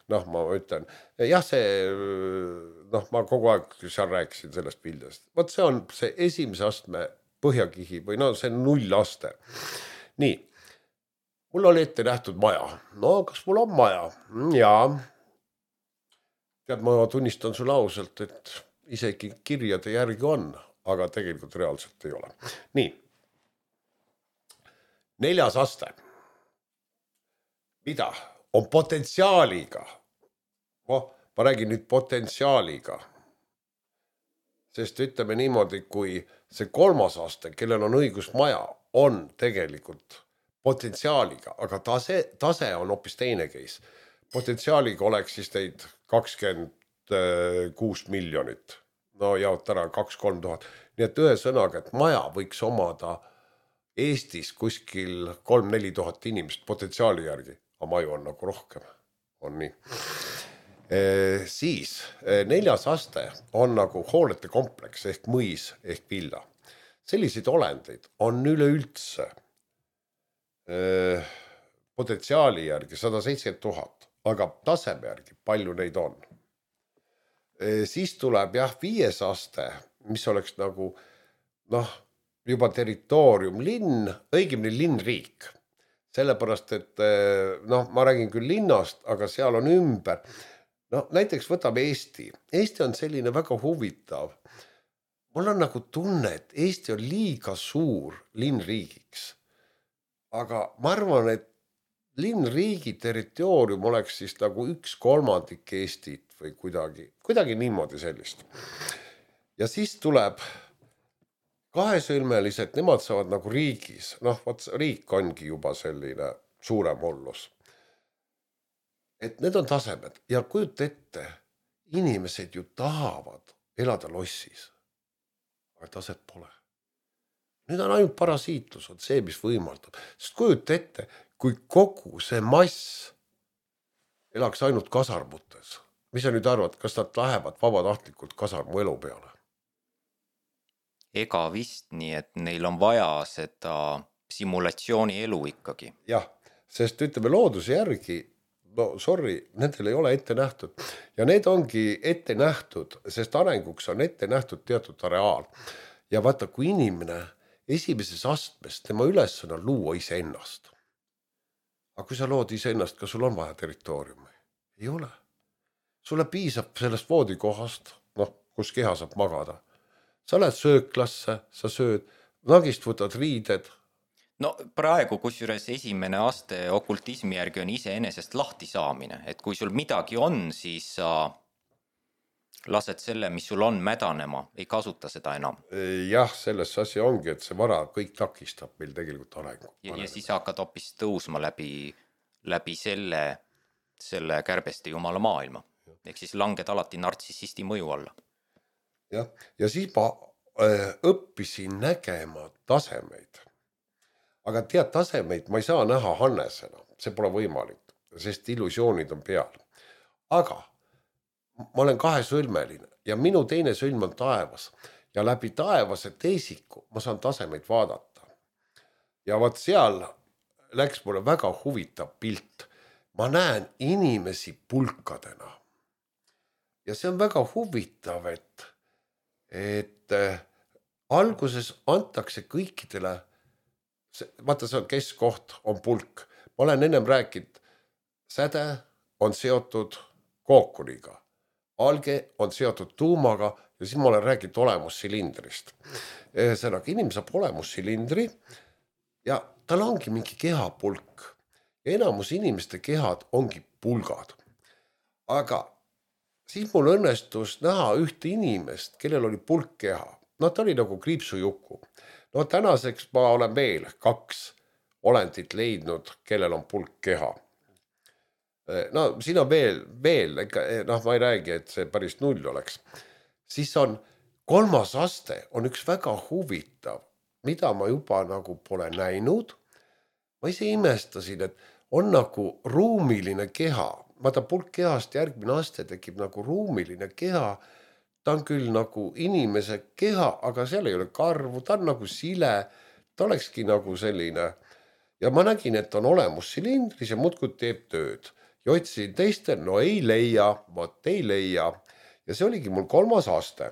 Ma ütlen, jah, ma kogu aeg seal rääkisin sellest pildest. Vaat see on see esimese astme põhjakihi või see on 0 aste. Nii, mul oli ette nähtud maja. Kas mul on maja? Jaa. Tead, ma tunnistan sulle ausalt, et isegi kirjade järgi on, aga tegelikult reaalselt ei ole. Nii. 4. aste. Mida? On potentsiaaliga. Ma räägin nüüd potentsiaaliga. Sest ütleme niimoodi, kui see 3. aste, kellel on õigusmaja, on tegelikult potentsiaaliga, aga tase on hoopis teine case. Potentsiaaliga oleks siis neid 26 miljonit. No jaot ära 2-3 tuhat. Nii et ühe sõnaga, et maja võiks omada Eestis kuskil 3-4 tuhat inimest potentsiaali järgi, aga maju on nagu rohkem. On nii. Siis 4. aste on nagu hoolete kompleks ehk mõis ehk villa. Selliseid olendeid on üleüldse potentsiaali järgi 170 000, aga taseme järgi palju neid on. Siis tuleb 5. aste, mis oleks nagu juba territoorium, linn, õigemini linnriik. Sellepärast, et ma räägin küll linnast, aga seal on ümber. Näiteks võtab Eesti. Eesti on selline väga huvitav. Mul on nagu tunne, et Eesti on liiga suur linnriigiks. Aga ma arvan, et linnriigi territoorium oleks siis nagu 1/3 Eestit või kuidagi niimoodi sellist. Ja siis tuleb kahesõlmelised, nemad saavad nagu riigis. Riik ongi juba selline suurem hullus. Et need on tasemed ja kujut ette, inimesed ju tahavad elada lossis, aga taset pole. Nüüd on ainult parasiitlus, on see, mis võimaldab. Sest kujut ette, kui kogu see mass elaks ainult kasarmutes. Mis sa nüüd arvad, kas nad lähevad vabatahtlikult kasarmu elu peale? Ega vist nii, et neil on vaja seda simulatsiooni elu ikkagi. Jah, sest ütleme looduse järgi, nendel ei ole ette nähtud. Ja need ongi ette nähtud, sest arenguks on ette nähtud teatud areaal. Ja vaata, kui inimene esimeses astmes, tema ülesanne on luua iseennast. Aga kui sa lood iseennast, kas sul on vaja territooriumi? Ei ole. Sulle piisab sellest voodikohast, kus keha saab magada. Sa lähed sööklasse, sa sööd, nagist võtad riided. Praegu kusjuures esimene aste okultismi järgi on iseenesest lahti saamine. Et kui sul midagi on, siis sa lased selle, mis sul on mädanema, ei kasuta seda enam. Jah, selles asi ongi, et see vara kõik takistab meil tegelikult arengu. Ja siis hakkad hoopis tõusma läbi selle kärbeste jumala maailma. Ehk siis langed alati nartsissisti mõju alla. Ja siis ma õppisin nägema tasemeid. Aga tead, tasemeid ma ei saa näha Hannesena. See pole võimalik, sest illusioonid on peal. Aga ma olen kahesõlmeline ja minu teine sõlm on taevas. Ja läbi taevase teisiku ma saan tasemeid vaadata. Ja vaat seal läks mulle väga huvitav pilt. Ma näen inimesi pulkadena. Ja see on väga huvitav, et alguses antakse kõikidele, vaata see on keskkoht, on pulk. Ma olen ennem rääkinud, säde on seotud kookuniga, alge on seotud tuumaga ja siis ma olen rääkinud olemussilindrist. Ühesõnaga, inimene saab olemussilindri ja tal ongi mingi kehapulk. Ja enamus inimeste kehad ongi pulgad. Aga siis mul õnnestus näha ühte inimest, kellel oli pulkkeha. Ta oli nagu kriipsujuku. Tänaseks ma olen veel 2 olendit leidnud, kellel on pulkkeha. Siin on veel, ma ei räägi, et see päris 0 oleks. Siis on 3. aste, on üks väga huvitav, mida ma juba nagu pole näinud. Ma ise imestasin, et on nagu ruumiline keha. Vaata pulkkehast järgmine aste tekib nagu ruumiline keha. Ta on küll nagu inimese keha, aga seal ei ole karvu, ta on nagu sile, ta olekski nagu selline. Ja ma nägin, et on olemussilindris ja muudkui teeb tööd. Ja otsisin teistel, ei leia, ei leia. Ja see oligi mul 3. aste.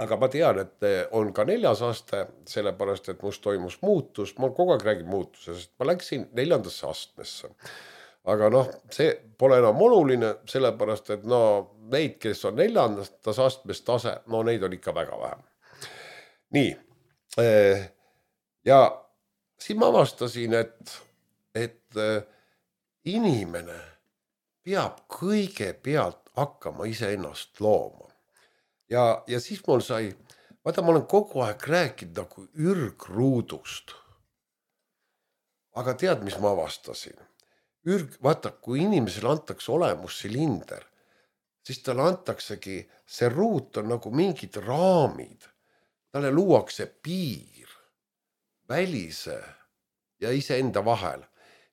Aga ma tean, et on ka 4. aste, sellepärast, et must toimus muutus. Ma kogu aeg räägin muutusest, ma läksin 4. astmesse. aga noh, see pole enam oluline, sellepärast, et no neid, kes on 4. astmes tase, no neid on ikka väga vähe. Nii, ja siin ma avastasin, et inimene peab kõigepealt hakkama iseennast looma. Ja siis mul sai, vaata, ma olen kogu aeg rääkinud nagu ürgruudust. Aga tead, mis ma avastasin? Vaata, kui inimesele antakse olemussilinder, siis talle antaksegi, see ruut on nagu mingid raamid. Talle luuakse piir välise ja iseenda vahel.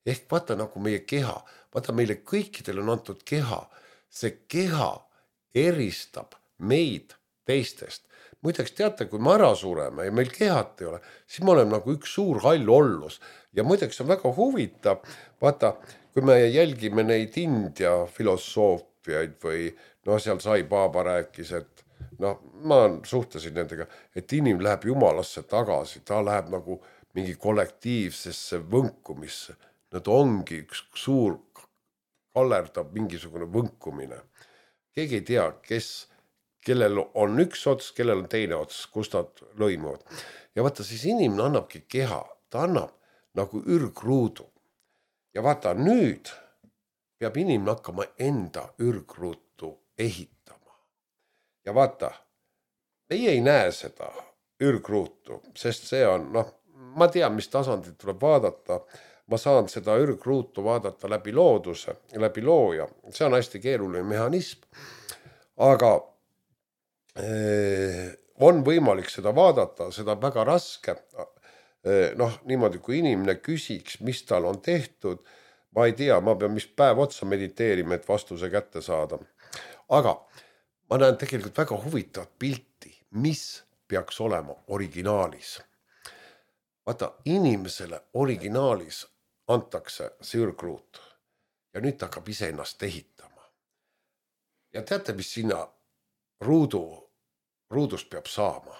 Ehk vaata nagu meie keha. Vaata, meile kõikidel on antud keha. See keha eristab meid teistest. Muideks teate, kui me ära sureme ja meil kehat ei ole, siis me oleme nagu üks suur hall ollus. Ja muideks on väga huvitav, vaata, kui me jälgime neid India filosoofiaid või no seal Sai Baba rääkis, et no ma suhtlesin nendega, et inim läheb jumalasse tagasi, ta läheb nagu mingi kollektiivsesse võnkumisse. Nad ongi üks suur kallerdab mingisugune võnkumine. Keegi ei tea, kellel on üks ots, kellel on teine ots, kus nad lõimuvad. Ja vaata, siis inimene annabki keha, ta annab nagu ürgruudu. Ja vaata, nüüd peab inimene hakkama enda ürgruutu ehitama. Ja vaata, meie ei näe seda ürgruutu, sest see on, noh, ma tean, mis tasandit tuleb vaadata. Ma saan seda ürgruutu vaadata läbi looduse, läbi looja. See on hästi keeruline mehhanism. Aga on võimalik seda vaadata, seda väga raske. Noh, niimoodi, kui inimene küsiks, mis tal on tehtud, ma ei tea, ma pean mis päev otsa mediteerima, et vastuse kätte saada. Aga ma näen tegelikult väga huvitavat pilti, mis peaks olema originaalis. Vaata, inimesele originaalis antakse see ürgruut ja nüüd ta hakkab ise ennast ehitama. Ja teate, mis sinna ruudust peab saama?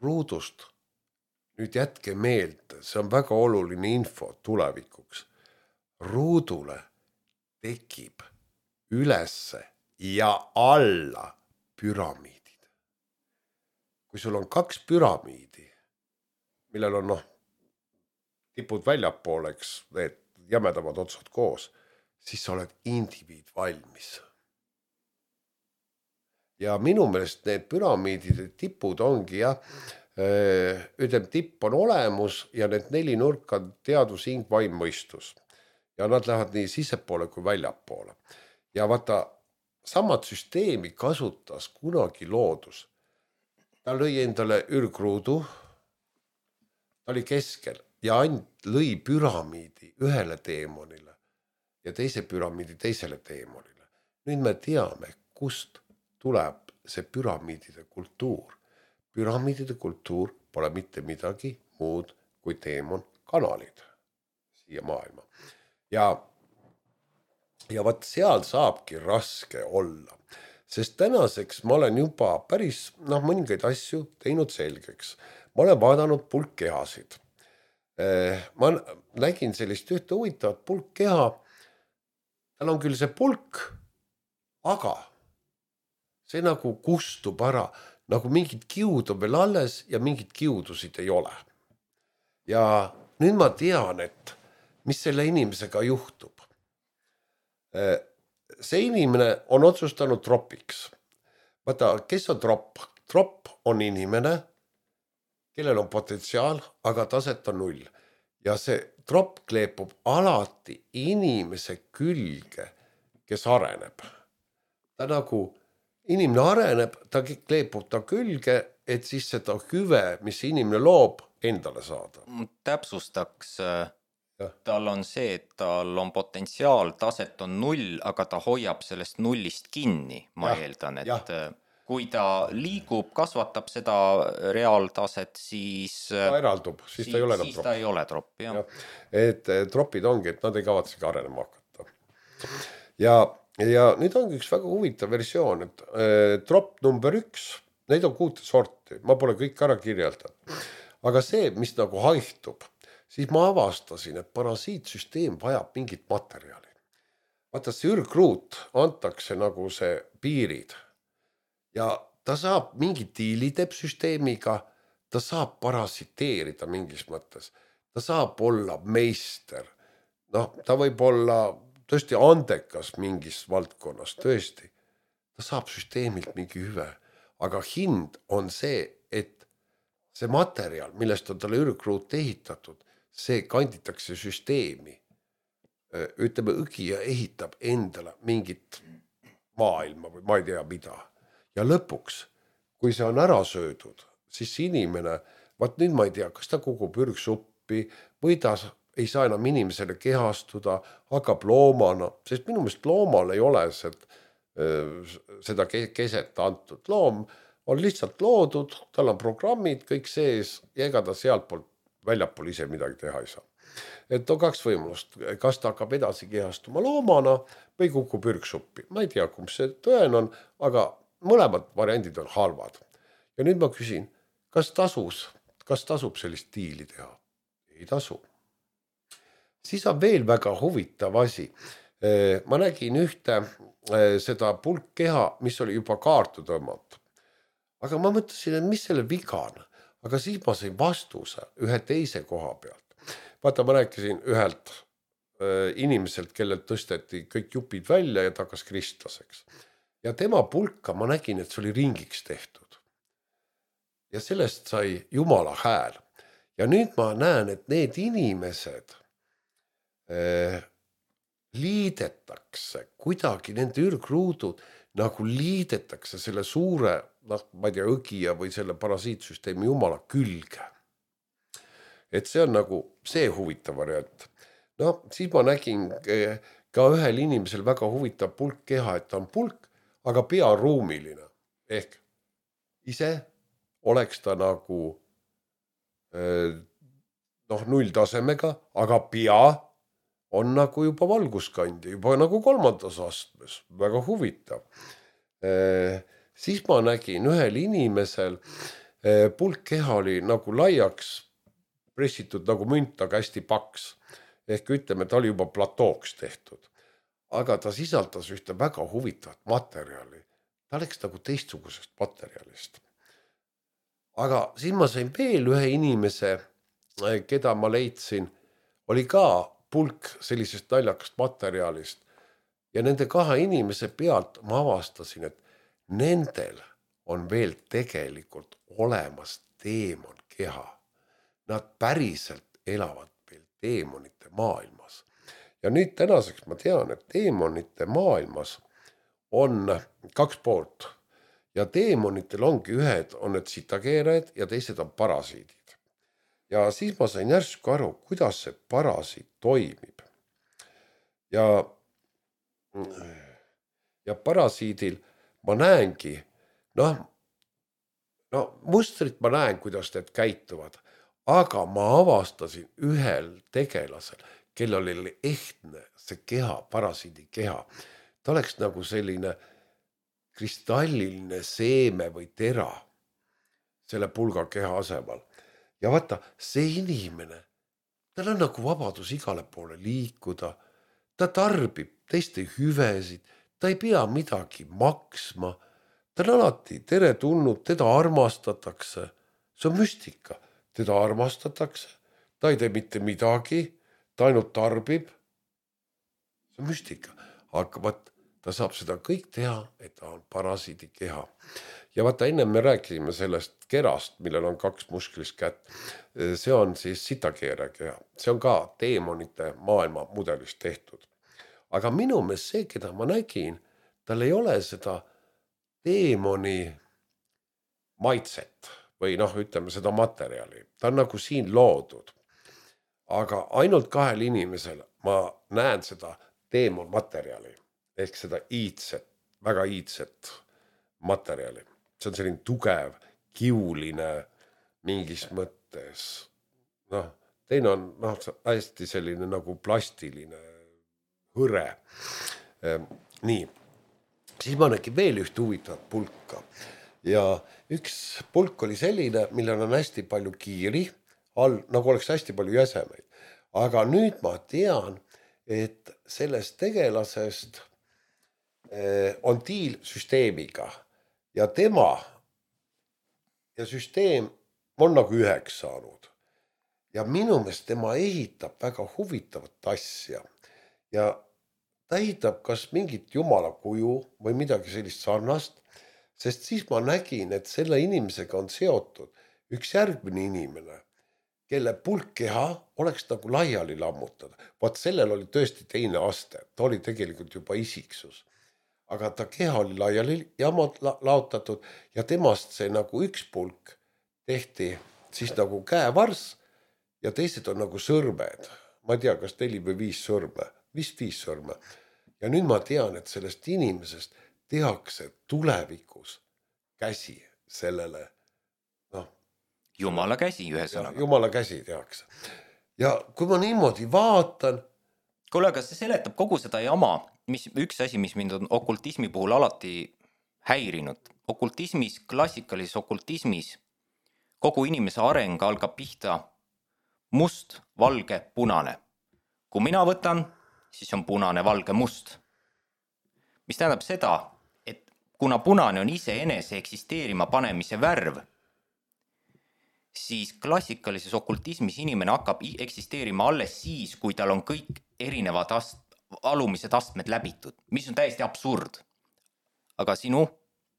Ruudust, nüüd jätke meelde, see on väga oluline info tulevikuks. Ruudule tekib ülesse ja alla püramiidid. Kui sul on 2 püramiidi, millel on tipud väljapooleks, need jämedamad otsad koos, siis sa oled indiviid valmis. Ja minu meelest need püramiidide tipud ongi ütleme, tipp on olemus ja need 4 nurka on teadus, hing, vaim, mõistus. Ja nad lähevad nii sissepoole kui väljapoole. Ja vaata, samad süsteemi kasutas kunagi loodus. Ta lõi endale ürgruudu, ta oli keskel ja lõi püramiidi ühele teemonile ja teise püramiidi teisele teemonile. Nüüd me teame, kust tuleb see püramiidide kultuur. Püramiidide kultuur pole mitte midagi muud kui teemon kanalid siia maailma. Ja vaat seal saabki raske olla, sest tänaseks ma olen juba päris mõningaid asju teinud selgeks. Ma olen vaadanud pulkkehasid. Ma nägin sellist ühte huvitavat pulkkeha. Tal on küll see pulk, aga see nagu kustub ära, nagu mingid kiud on veel alles ja mingid kiudusid ei ole. Ja nüüd ma tean, et mis selle inimesega juhtub. See inimene on otsustanud tropiks. Vaata, kes on tropp? Tropp on inimene, kellel on potentsiaal, aga taset on 0. Ja see tropp kleepub alati inimese külge, kes areneb. Ta nagu, inimene areneb, ta kleepub ta külge, et siis seda hüve, mis inimene loob, endale saada. Täpsustaks, tal on see, et tal on potentsiaal, taset on 0, aga ta hoiab sellest 0-st kinni, ma eeldan, et kui ta liigub, kasvatab seda reaaltaset, siis ta eraldub, siis ta ei ole enam tropp. Ta ei ole tropp, jah. Et tropid ongi, et nad ei kavatsegi arenema hakata. Ja nüüd ongi üks väga huvitav versioon, et tropp number 1, neid on 6 sorti, ma pole kõik ära kirjeldanud. Aga see, mis nagu haihtub, siis ma avastasin, et parasiitsüsteem vajab mingit materjali. vaata, see ürgruut antakse nagu see piirid ja ta saab mingi diili teeb süsteemiga, ta saab parasiteerida mingis mõttes, ta saab olla meister, noh, ta võib olla tõesti andekas mingis valdkonnas, tõesti, ta saab süsteemilt mingi hüve, aga hind on see, et see materjal, millest on talle ürgruut ehitatud, see kanditakse süsteemi. Ütleme, õgija ehitab endale mingit maailma või ma ei tea mida. Ja lõpuks, kui see on ära söödud, siis inimene, vaat nüüd ma ei tea, kas ta kogub ürgsuppi või ta ei saa enam inimesele kehastuda, hakkab loomana, sest minu meelest loomal ei ole seda keset antud. Loom on lihtsalt loodud, tal on programmid, kõik sees ja ega ta sealt poolt väljapool ise midagi teha ei saa. Et on kaks võimalust, kas ta hakkab edasi kehastuma loomana või kukub ürgsuppi. Ma ei tea, kumb see tõen on, aga mõlemad variandid on halvad. Ja nüüd ma küsin, kas tasub sellist diili teha? Ei tasu. Siis on veel väga huvitav asi. Ma nägin ühte seda pulkkeha, mis oli juba kaartu tõmmatud. Aga ma mõtlesin, et mis selle viga on. Aga siis ma sain vastuse ühe teise koha pealt. Vaata, ma rääkisin ühelt inimeselt, kellelt tõsteti kõik jupid välja ja ta hakkas kristlaseks. Ja tema pulka ma nägin, et see oli ringiks tehtud. Ja sellest sai Jumala hääl. Ja nüüd ma näen, et need inimesed liidetakse kuidagi, nende ürgruudud nagu liidetakse selle suure, ma ei tea, õgija või selle parasiitsüsteemi Jumala külge. Et see on nagu see huvitav variant. No, siis ma nägin ka ühel inimesel väga huvitav pulkkeha, et ta on pulk, aga pea ruumiline. Ehk ise oleks ta nagu nulltasemega, aga pea on nagu juba valguskandi, juba nagu 3. astmes. Väga huvitav. Siis ma nägin ühel inimesel pulkkeha oli nagu laiaks pressitud nagu münt, aga hästi paks. Ehk ütleme, ta oli juba platooks tehtud. Aga ta sisaldas ühte väga huvitavat materjali. Ta oleks nagu teistsugusest materjalist. Aga siis ma sain veel ühe inimese, keda ma leidsin, oli ka pulk sellisest naljakast materjalist. Ja nende 2 inimese pealt ma avastasin, et nendel on veel tegelikult olemas teemon keha. Nad päriselt elavad veel teemonite maailmas. Ja nüüd tänaseks ma tean, et teemonite maailmas on 2 poolt. Ja teemonitel ongi ühed on need sitakeerajad ja teised on parasiidid. Ja siis ma sain järsku aru, kuidas see parasiit toimib. Ja parasiidil ma näengi, mustrit ma näen, kuidas need käituvad. Aga ma avastasin ühel tegelasel, kellel oli ehtne see keha, parasiidi keha. Ta oleks nagu selline kristalliline seeme või tera selle pulga keha asemal. Ja vaata, see inimene, tal on nagu vabadus igale poole liikuda. Ta tarbib teiste hüvesid, ta ei pea midagi maksma. Ta on alati tere tulnud, teda armastatakse. See on müstika. Teda armastatakse, ta ei tee mitte midagi, ta ainult tarbib. See on müstika. Aga vaat, ta saab seda kõik teha, et ta on parasiidi keha. Ja vaata, enne me rääkisime sellest kerast, millel on 2 musklist kätt. See on siis sitakeere keha. See on ka teemonite maailma mudelist tehtud. Aga minu meelest see, keda ma nägin, tal ei ole seda teemoni maitset. Või ütleme seda materjali. Ta on nagu siin loodud. Aga ainult 2 inimesel ma näen seda teemon materjali. Ehk seda iidset, väga iidset materjali. See on selline tugev, kiuline mingis mõttes. Teine on hästi selline nagu plastiline hõre. Nii. Siis ma nägin veel üht huvitavat pulka. Ja üks pulk oli selline, millel on hästi palju kiiri, nagu oleks hästi palju jäsemeid. Aga nüüd ma tean, et sellest tegelasest on diil süsteemiga ja tema ja süsteem on nagu üheks saanud. Ja minu meelest tema ehitab väga huvitavat asja ja ta ehitab kas mingit jumala kuju või midagi sellist sarnast, sest siis ma nägin, et selle inimesega on seotud üks järgmine inimene, kelle pulkkeha oleks nagu laiali lammutada. Vaat sellel oli tõesti teine aste, ta oli tegelikult juba isiksus. Aga ta keha oli laiali laotatud ja temast see nagu üks pulk tehti siis nagu käevars ja teised on nagu sõrmed. Ma ei tea, kas 4 või 5 sõrme, vist 5 sõrme. Ja nüüd ma tean, et sellest inimesest tehakse tulevikus käsi sellele. Jumala käsi ühesõnaga. Jumala käsi tehakse. Ja kui ma niimoodi vaatan... Kuule, aga see seletab kogu seda jama, üks asi, mis mind on okultismi puhul alati häirinud. Okultismis, klassikalises okultismis kogu inimese areng algab pihta must, valge, punane. Kui mina võtan, siis on punane, valge, must. Mis tähendab seda, et kuna punane on iseenese eksisteerima panemise värv, siis klassikalises okultismis inimene hakkab eksisteerima alles siis, kui tal on kõik erinevad alumised astmed läbitud, mis on täiesti absurd. Aga sinu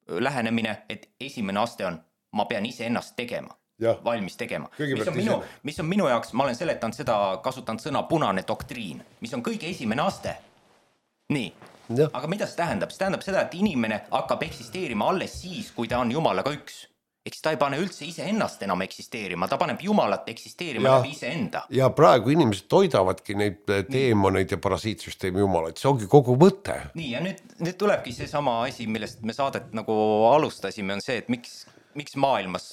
lähenemine, et esimene aste on, ma pean ise ennast tegema, valmis tegema. Mis on minu jaoks, ma olen seletanud seda, kasutanud sõna punane doktriin, mis on kõige esimene aste. Nii, aga mida see tähendab? See tähendab seda, et inimene hakkab eksisteerima alles siis, kui ta on Jumalaga üks. Eks ta ei pane üldse ise ennast enam eksisteerima, ta paneb Jumalat eksisteerima läbi ise enda. Ja praegu inimesed toidavadki neid teemoneid ja parasiitsüsteemi jumalaid, see ongi kogu mõte. Nii, ja nüüd tulebki see sama asi, millest me saadet nagu alustasime, on see, et miks maailmas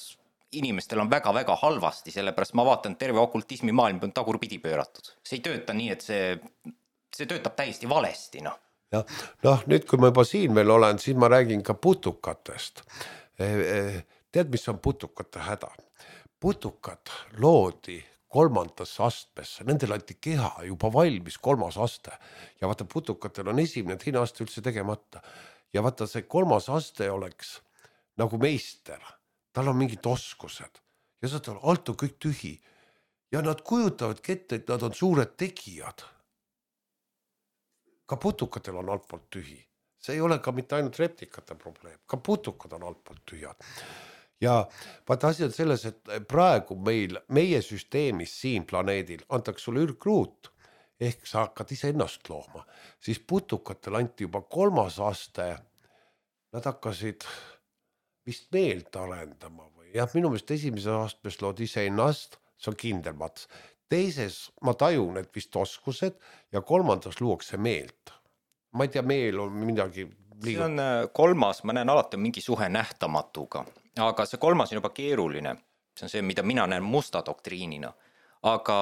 inimestel on väga-väga halvasti, sellepärast ma vaatan, terve okultismi maailm on tagurpidi pööratud. See ei tööta nii, et see töötab täiesti valesti. Nüüd, kui ma juba siin veel olen, siis ma räägin ka putukatest. Tead, mis on putukate häda? Putukad loodi 3. astmesse, nendel anti keha juba valmis 3. aste ja vaata putukatel on esimene, teine aste üldse tegemata ja vaata see 3. aste oleks nagu meister, tal on mingid oskused ja seda alt on kõik tühi ja nad kujutavadki ette, et nad on suured tegijad. Ka putukatel on altpoolt tühi, see ei ole ka mitte ainult reptikate probleem, ka putukad on altpoolt tühjad. Ja vaata asi on selles, et praegu meie süsteemis siin planeedil antakse sulle ürgruut, ehk sa hakkad ise ennast looma, siis putukatel anti juba 3. aste, nad hakkasid vist meelt arendama või minu meelest esimeses astmes lood ise ennast, see on kindel mats. Teises ma tajun, et vist oskused ja 3. luuakse meelt. Ma ei tea, meel on midagi see on 3., ma näen alati mingi suhe nähtamatuga, aga see 3. on juba keeruline. See on see, mida mina näen musta doktriinina. Aga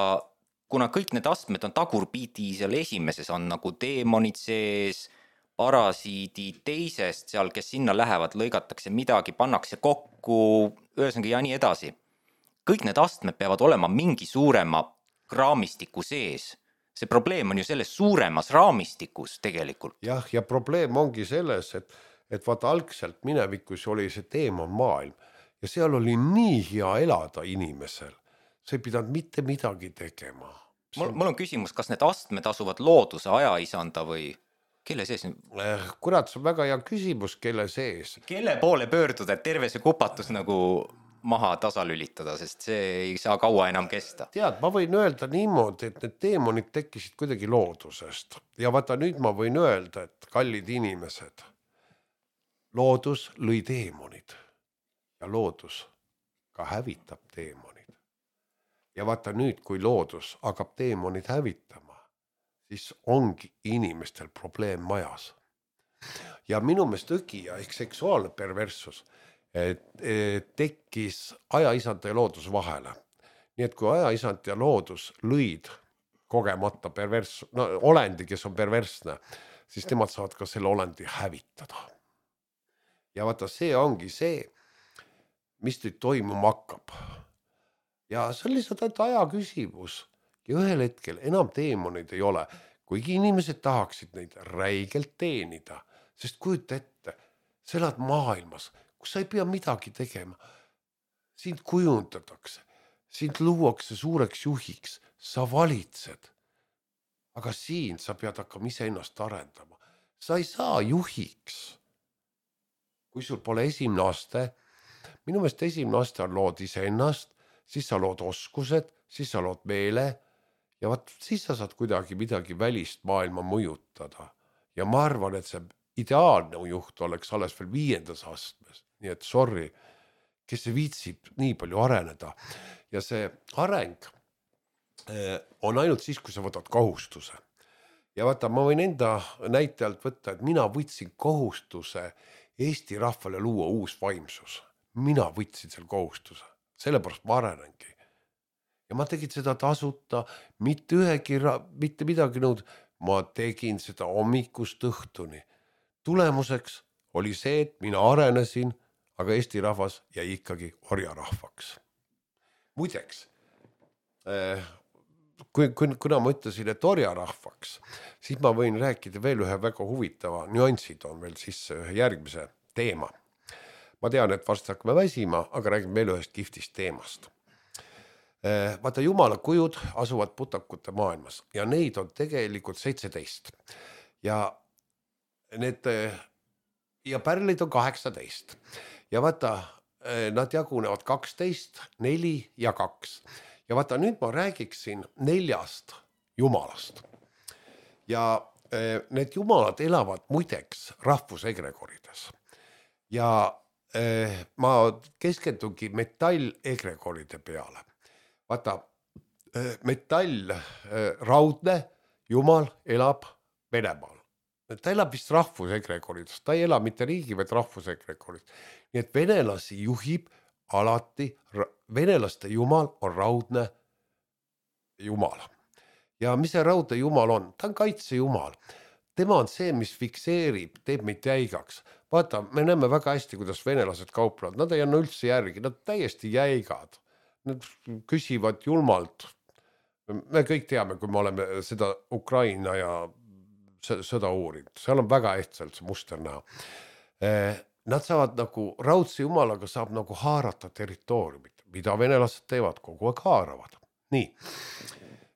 kuna kõik need astmed on tagurpidi, seal esimeses on nagu teemonid sees, parasiidid teisest seal, kes sinna lähevad, lõigatakse midagi, pannakse kokku, ühesõnaga ja nii edasi. Kõik need astmed peavad olema mingi suurema raamistiku sees. See probleem on ju selles suuremas raamistikus tegelikult. Ja probleem ongi selles, et vaata algselt minevikus oli see teemon maailm ja seal oli nii hea elada inimesel. See ei pidanud mitte midagi tegema. Mul on küsimus, kas need astmed asuvad looduse ajaisanda või kelle sees? Kurat, see on väga hea küsimus, kelle sees. Kelle poole pöörduda, et terve see kupatus nagu maha tasalülitada, sest see ei saa kaua enam kesta. Tead, ma võin öelda niimoodi, et need teemonid tekkisid kuidagi loodusest. Ja vaata, nüüd ma võin öelda, et kallid inimesed, loodus lõi teemonid ja loodus ka hävitab teemonid. Ja vaata nüüd, kui loodus hakkab teemonid hävitama, siis ongi inimestel probleem majas. Ja minu meelest õgija ehk seksuaalne perverssus tekkis ajaisand ja loodus vahele. Nii et kui ajaisand ja loodus lõid kogemata olendi, kes on perversne, siis nemad saavad ka selle olendi hävitada. Ja vaata, see ongi see, mis nüüd toimuma hakkab. Ja see on lihtsalt aja küsimus. Ja ühel hetkel enam teemonid ei ole. kuigi inimesed tahaksid neid räigelt teenida, sest kujuta ette, sa elad maailmas, kus sa ei pea midagi tegema. Sind kujundatakse, sind luuakse suureks juhiks, sa valitsed. Aga siin sa pead hakkama iseennast arendama. Sa ei saa juhiks, kui sul pole esimene aste. Minu meelest esimene aste on lood iseennast, siis sa lood oskused, siis sa lood meele ja siis sa saad kuidagi midagi välist maailma mõjutada. Ja ma arvan, et see ideaalne juht oleks alles veel 5. astmes. Nii et sorry, kes see viitsib nii palju areneda. Ja see areng on ainult siis, kui sa võtad kohustuse. Ja vaata, ma võin enda näitajalt võtta, et mina võtsin kohustuse Eesti rahvale luua uus vaimsus. Mina võtsin selle kohustuse. Sellepärast ma arenengi. Ja ma tegin seda tasuta, mitte midagi nõud. Ma tegin seda hommikust õhtuni. Tulemuseks oli see, et mina arenesin, aga Eesti rahvas jäi ikkagi orjarahvaks. Muideks, kuna ma ütlesin, et orjarahvaks, siis ma võin rääkida veel ühe väga huvitava nüansid on veel sisse ühe järgmise teema. Ma tean, et varsti hakkame väsima, aga räägime veel ühest kihvtist teemast. Vaata, jumala kujud asuvad putakute maailmas ja neid on tegelikult 17. Ja pärlid on 18. Ja vaata, nad jagunevad 12, 4 ja 2. Ja vaata, nüüd ma räägiksin 4 jumalast. Ja need jumalad elavad muideks rahvusegregorides. Ja ma keskendungi metall-egregoride peale. Vaata, metall, raudne jumal elab Venemaal. Ta elab vist rahvusegregorides, ta ei ela mitte riigi, vaid rahvusegregorides. Nii et venelasi juhib alati, venelaste jumal on raudne jumal. Ja mis see raudne jumal on? Ta on kaitsejumal. Tema on see, mis fikseerib, teeb meid jäigaks. Vaata, me näeme väga hästi, kuidas venelased kauplevad. Nad ei anna üldse järgi, nad täiesti jäigad. Nad küsivad julmalt. Me kõik teame, kui me oleme seda Ukraina ja sõda uurinud. Seal on väga ehtsalt see muster näha. Nad saavad nagu, raudse jumalaga saab nagu haarata territooriumit, mida venelased teevad, kogu aeg haaravad. Nii,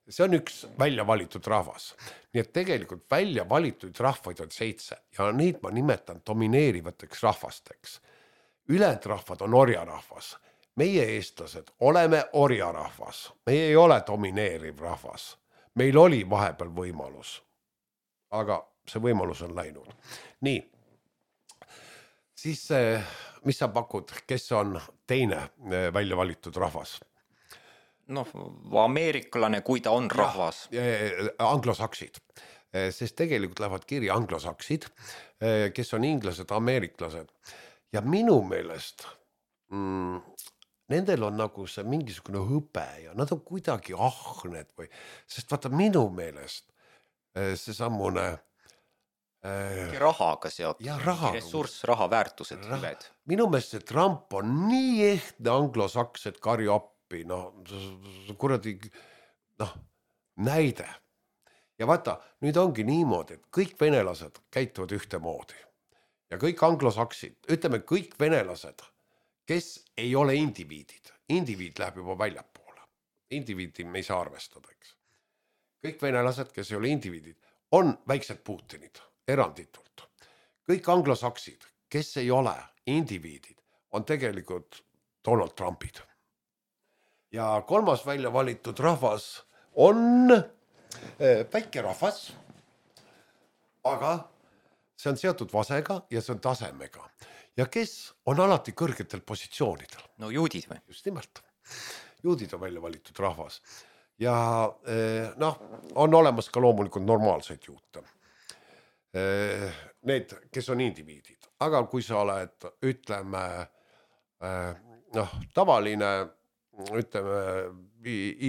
see on üks välja valitud rahvas. Nii et tegelikult välja valitud rahvaid on 7 ja neid ma nimetan domineerivateks rahvasteks. Ülejäänud rahvad on orjarahvas. Meie eestlased oleme orjarahvas. Meie ei ole domineeriv rahvas. Meil oli vahepeal võimalus, aga see võimalus on läinud. Nii, siis mis sa pakud, kes on teine välja valitud rahvas? Noh, ameeriklane, kui ta on rahvas. Anglosaksid, sest tegelikult lähevad kirja anglosaksid, kes on inglased, ameeriklased. Ja minu meelest nendel on nagu see mingisugune hõbe ja nad on kuidagi ahned või, sest vaata minu meelest see sammune rahaga seotud, ressurss, raha, väärtused, hüved. Minu meelest see Trump on nii ehtne anglosaks, et karju appi, kuradi, näide. Ja vaata, nüüd ongi niimoodi, et kõik venelased käituvad ühtemoodi ja kõik anglosaksid, ütleme kõik venelased, kes ei ole indiviidid. Indiviid läheb juba väljapoole. Indiviidi me ei saa arvestada, eks. Kõik venelased, kes ei ole indiviidid, on väiksed Putinid, eranditult. Kõik anglosaksid, kes ei ole indiviidid, on tegelikult Donald Trumpid. Ja 3. välja valitud rahvas on väike rahvas, aga see on seotud vasega ja see on tasemega. Ja kes on alati kõrgetel positsioonidel? No juudid või? Just nimelt. Juudid on välja valitud rahvas. Ja on olemas ka loomulikult normaalseid juute. Need, kes on indiviidid. Aga kui sa oled, ütleme, tavaline, ütleme,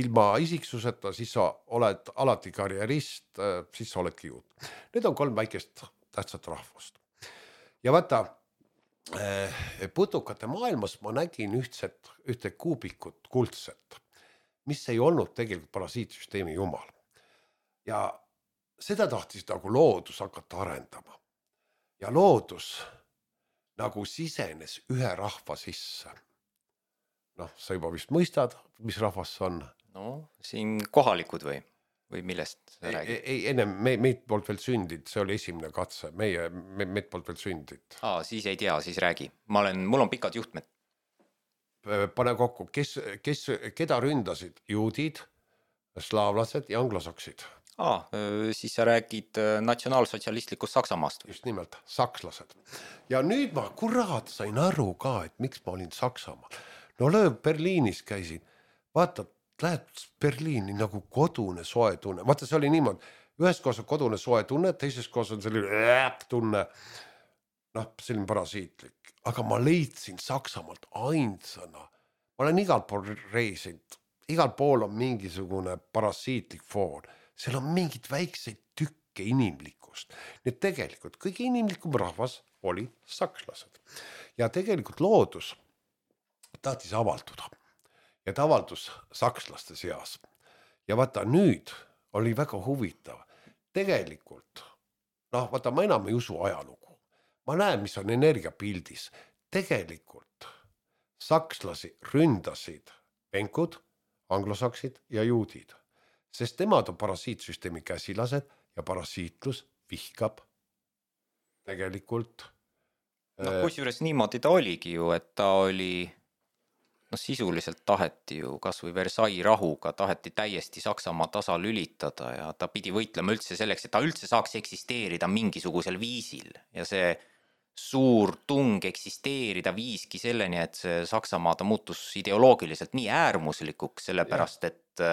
ilma isiksuseta, siis sa oled alati karjerist, siis sa oledki juut. Need on 3 väikest tähtsat rahvust. Ja vaata, putukate maailmas ma nägin ühte kuubikut kuldset, mis ei olnud tegelikult parasiitsüsteemi jumal. Ja seda tahtis nagu loodus hakata arendama. Ja loodus nagu sisenes ühe rahva sisse. Noh, sa juba vist mõistad, mis rahvas see on. No siin kohalikud või millest sa räägid? Ei, ennem meid poolt veel sündid, see oli esimene katse, meid poolt veel sündid. Siis ei tea, siis räägi. Mul on pikad juhtmed. Pane kokku, keda ründasid? Juudid, slaavlased ja anglosaksid. Siis sa räägid natsionaalsotsialistlikust Saksamaast. Just nimelt, sakslased. Ja nüüd ma kurat sain aru ka, et miks ma olin Saksamaal. No Berliinis käisin, vaata, lähed Berliini nagu kodune soe tunne. Vaata, see oli niimoodi, ühes kohas on kodune soe tunne, teises kohas on selline tunne, noh, selline parasiitlik. Aga ma leidsin Saksamaalt ainsana. Ma olen igal pool reisinud, igal pool on mingisugune parasiitlik foon. Seal on mingid väikseid tükke inimlikust. Nii tegelikult kõige inimlikum rahvas oli sakslased. Ja tegelikult loodus tahtis avalduda. Ja ta avaldus sakslaste seas. Ja vaata, nüüd oli väga huvitav. Tegelikult, vaata, ma enam ei usu ajalugu. Ma näen, mis on energiapildis. Tegelikult sakslasi ründasid venkud, anglosaksid ja juudid. Sest nemad on parasiitsüsteemi käsilased ja parasiitlus vihkab tegelikult. Kusjuures niimoodi ta oligi ju, et ta oli... sisuliselt taheti ju kas või Versailles rahuga, taheti täiesti Saksamaa tasa lülitada ja ta pidi võitlema üldse selleks, et ta üldse saaks eksisteerida mingisugusel viisil. Ja see suur tung eksisteerida viiski selleni, et see Saksamaa ta muutus ideoloogiliselt nii äärmuslikuks, sellepärast et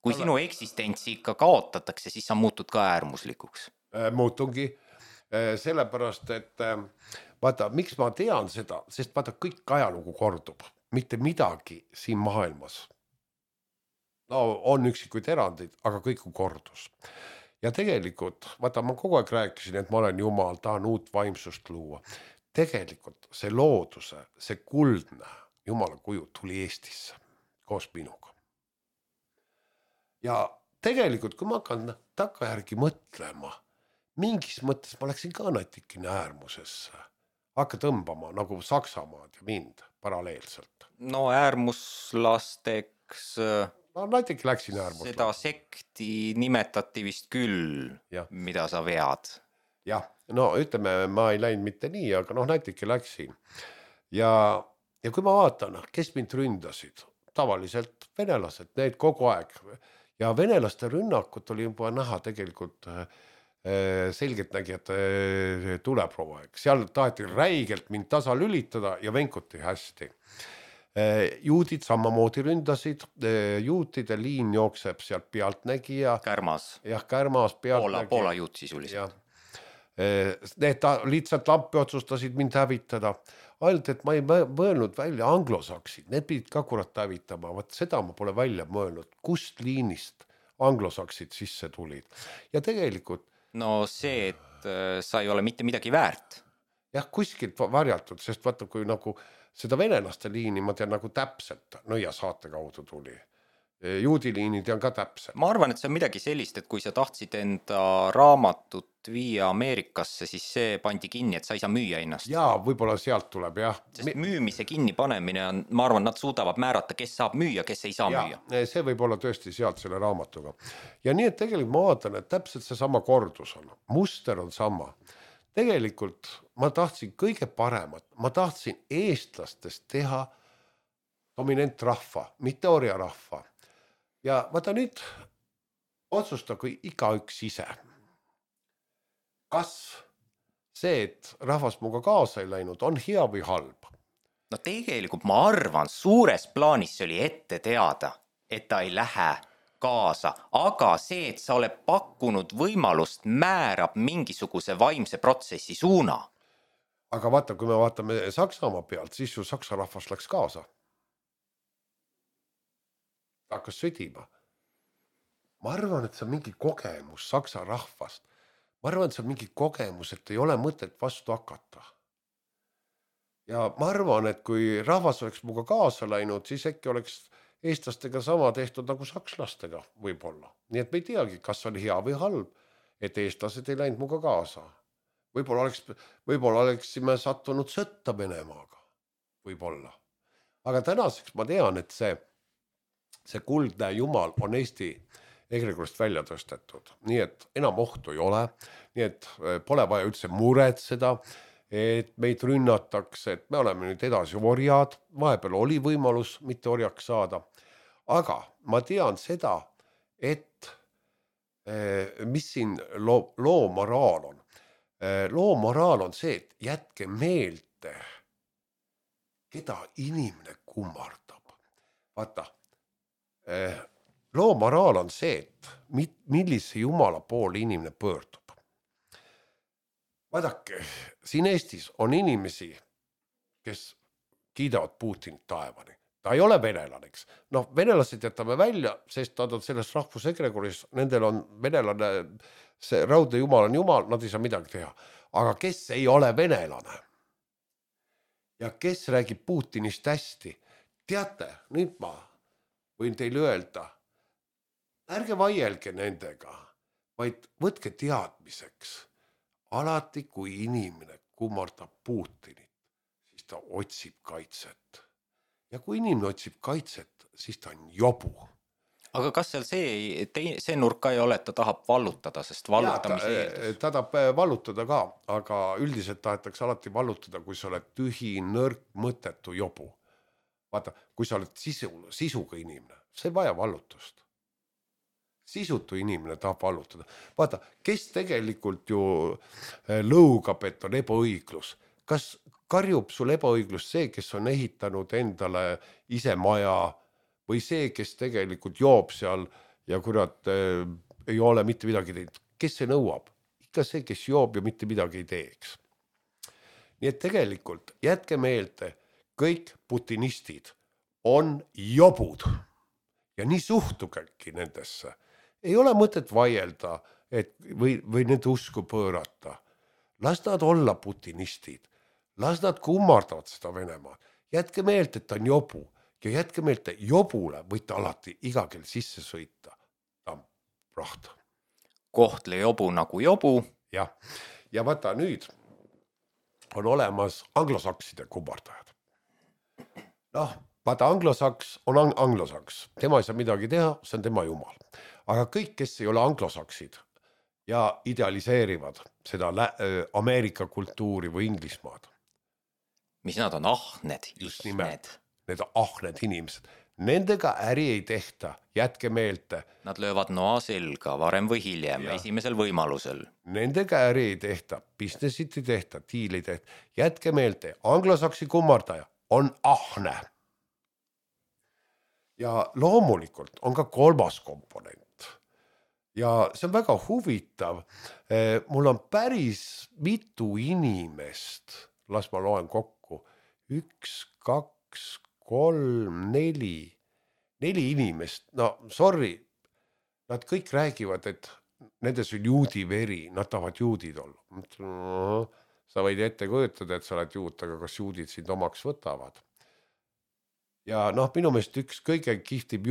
kui sinu eksistentsi ikka kaotatakse, siis sa muutud ka äärmuslikuks. Muutungi, sellepärast, et vaata, miks ma tean seda, sest vaata, kõik ajalugu kordub. Mitte midagi siin maailmas. No on üksikuid erandid, aga kõik on kordus. Ja tegelikult, vaata, ma kogu aeg rääkisin, et ma olen Jumal, tahan uut vaimsust luua. Tegelikult see looduse, see kuldne Jumala kuju tuli Eestisse koos minuga. Ja tegelikult, kui ma hakkan takkajärgi mõtlema, mingis mõttes ma läksin ka natikene äärmusesse. Hakka tõmbama nagu Saksamaad ja mind paralleelselt. No äärmuslasteks... No näiteks läksin äärmuslasteks. Seda sekti nimetati vist küll, mida sa vead. Jah, no ütleme, ma ei läinud mitte nii, aga näiteks läksin. Ja kui ma vaatan, kes mind ründasid, tavaliselt venelased, need kogu aeg. Ja venelaste rünnakut oli juba näha tegelikult... selgelt nägi, et tuleb provaeg. Seal taheti räigelt mind tasa lülitada ja venkuti hästi. Juudid samamoodi ründasid. Juutide liin jookseb sealt pealtnägija. Kärmas. Jah, Kärmas pealtnägija. Poola juut sisuliselt. Need lihtsalt lampi otsustasid mind hävitada. Ainult, et ma ei mõelnud välja anglosaksid. Need pidid ka kurat hävitama. Vaat seda ma pole välja mõelnud. Kust liinist anglosaksid sisse tulid. Ja tegelikult no see, et sa ei ole mitte midagi väärt. Jah, kuskilt varjatud, sest vaata, kui nagu seda venelaste liini ma tean nagu täpselt, ja saate kaudu tuli. Juudiliini tean ka täpselt. Ma arvan, et see on midagi sellist, et kui sa tahtsid enda raamatut viia Ameerikasse, siis see pandi kinni, et sa ei saa müüa ennast. Jaa, võib-olla sealt tuleb, jah. Sest müümise kinni panemine on, ma arvan, nad suudavad määrata, kes saab müüa, kes ei saa müüa. See võib olla tõesti sealt selle raamatuga. Ja nii, et tegelikult ma vaatan, et täpselt see sama kordus on. Muster on sama. Tegelikult ma tahtsin kõige paremat. Ma tahtsin eestlastest teha dominantrahva, mitte orjarahva. Ja vaata nüüd otsustagu igaüks ise. Kas see, et rahvas muga kaasa ei läinud, on hea või halb? No tegelikult ma arvan, suures plaanis see oli ette teada, et ta ei lähe kaasa, aga see, et sa oled pakkunud võimalust, määrab mingisuguse vaimse protsessi suuna. Aga vaata, kui me vaatame Saksamaa pealt, siis ju saksa rahvas läks kaasa. Hakkas sõdima. Ma arvan, et see on mingi kogemus saksa rahvast. Ma arvan, et see on mingi kogemus, et ei ole mõtet vastu hakata. Ja ma arvan, et kui rahvas oleks muga kaasa läinud, siis äkki oleks eestlastega sama tehtud nagu sakslastega võib-olla. Nii et me ei teagi, kas oli hea või halb. et eestlased ei läinud muga kaasa. Võib-olla oleksime sattunud sõtta Venemaaga, võib-olla. Aga tänaseks ma tean, et see kuldne jumal on Eesti egregorist välja tõstetud, nii et enam ohtu ei ole, nii et pole vaja üldse muretseda, et meid rünnatakse, et me oleme nüüd edasi orjad, vahepeal oli võimalus mitte orjaks saada, aga ma tean seda, et mis siin loo moraal on. Loo moraal on see, et jätke meelde, keda inimene kummardab. Vaata, loo moraal on see, et millise jumala poole inimene pöördub. Vaadake, siin Eestis on inimesi, kes kiidavad Putinit taevani. Ta ei ole venelaneks. Noh, venelased jätame välja, sest nad on selles rahvusegregoris, nendel on venelane, see raudne jumal on jumal, nad ei saa midagi teha. Aga kes ei ole venelane? Ja kes räägib Putinist hästi? Teate, nüüd ma võin teile öelda, ärge vaielge nendega, vaid võtke teadmiseks. Alati, kui inimene kummardab Putinit, siis ta otsib kaitset. Ja kui inimene otsib kaitset, siis ta on jobu. Aga kas seal see nurka ei ole, et ta tahab vallutada, sest vallutamise eeldus? Ta tahab vallutada ka, aga üldiselt tahetakse alati vallutada, kui sa oled tühi, nõrk, mõttetu jobu. Vaata, kui sa oled sisuga inimene, see ei vaja vallutust. Sisutu inimene tahab vallutada. Vaata, kes tegelikult ju lõugab, et on ebaõiglus. Kas karjub sul ebaõiglus see, kes on ehitanud endale ise maja või see, kes tegelikult joob seal ja kurat ei ole mitte midagi teinud? Kes see nõuab? Ikka see, kes joob ja mitte midagi ei teeks. Nii et tegelikult jätke meelde, kõik putinistid on jobud ja nii suhtugegi nendesse. Ei ole mõtet vaielda või nende usku pöörata. Las nad olla putinistid. Las nad kummardavad seda Venemaad. Jätke meelde, et ta on jobu. Ja jätke meelde, jobule võite alati iga kell sisse sõita. Ta on praht. Kohtle jobu nagu jobu. Ja vaata nüüd on olemas anglosakside kummardajad. Noh, vaata anglosaks on anglosaks. Tema ei saa midagi teha, see on tema jumal. Aga kõik, kes ei ole anglosaksid ja idealiseerivad seda Ameerika kultuuri või Inglismaad. Mis nad on ahned? Just nimelt, need ahned inimesed. Nendega äri ei tehta, jätke meelde. Nad löövad noa selga varem või hiljem, esimesel võimalusel. Nendega äri ei tehta, businessit ei tehta, diili ei tehta. Jätke meelde, anglosaksi kummardaja on ahne. Ja loomulikult on ka kolmas komponent. Ja see on väga huvitav. Mul on päris mitu inimest, las ma loen kokku, 1, 2, 3, 4 inimest, no sorry, nad kõik räägivad, et nendes on juudi veri, nad tahavad juudid olla. Sa võid ette kujutada, et sa oled juut, aga kas juudid sind omaks võtavad? Ja noh, minu meelest üks kõige kihvtim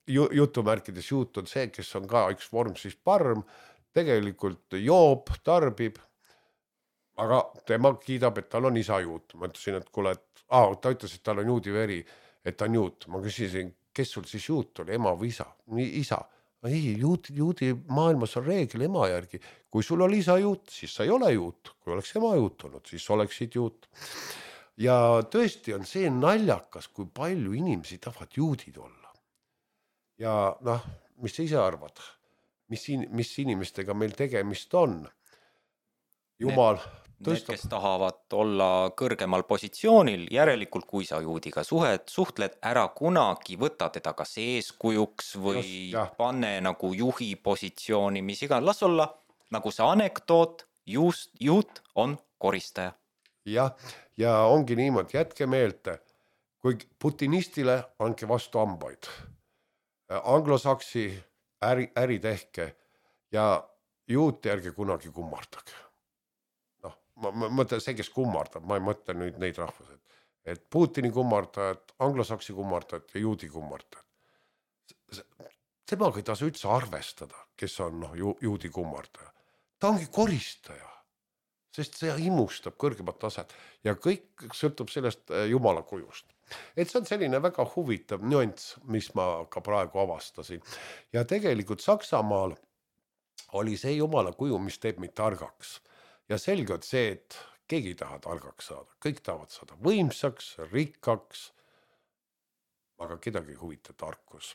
jutumärkides juut on see, kes on ka üks vorm siis parm, tegelikult joob, tarbib, aga tema kiidab, et tal on isa juut. Ma ütlesin, et kuule, ta ütles, et tal on juudi veri, et ta on juut. Ma küsisin, kes sul siis juut oli, ema või isa? Isa. Ei, juudi maailmas on reegel ema järgi. Kui sul oli isa juut, siis sa ei ole juut. Kui oleks ema juut olnud, siis oleksid juut. Ja tõesti on see naljakas, kui palju inimesi tahavad juudid olla. Ja noh, mis sa ise arvad? Mis inimestega meil tegemist on? Jumal Need, kes tahavad olla kõrgemal positsioonil, järelikult kui sa juudiga suhtled, ära kunagi võta teda kas eeskujuks või pane nagu juhi positsiooni, mis iga. Las olla nagu see anekdoot, juut on koristaja. Ja ongi niimoodi, jätke meelde, kui putinistile andke vastu hambaid. Anglosaksi äri tehke ja juut järgi kunagi kummardage. Noh, ma mõtlen see, kes kummardab, ma ei mõtle nüüd neid rahvused. Et Putini kummardajad, anglosaksi kummardajad ja juudi kummardajad. Temaga ei tasu üldse arvestada, kes on juudi kummardaja. ta ongi koristaja, sest see imustab kõrgemat taset ja kõik sõltub sellest Jumala kujust. Et see on selline väga huvitav nüanss, mis ma ka praegu avastasin. Ja tegelikult Saksamaal oli see Jumala kuju, mis teeb meid targaks. Ja selge on see, et keegi ei taha targaks saada. Kõik tahavad saada võimsaks, rikkaks, aga kedagi ei huvita tarkus.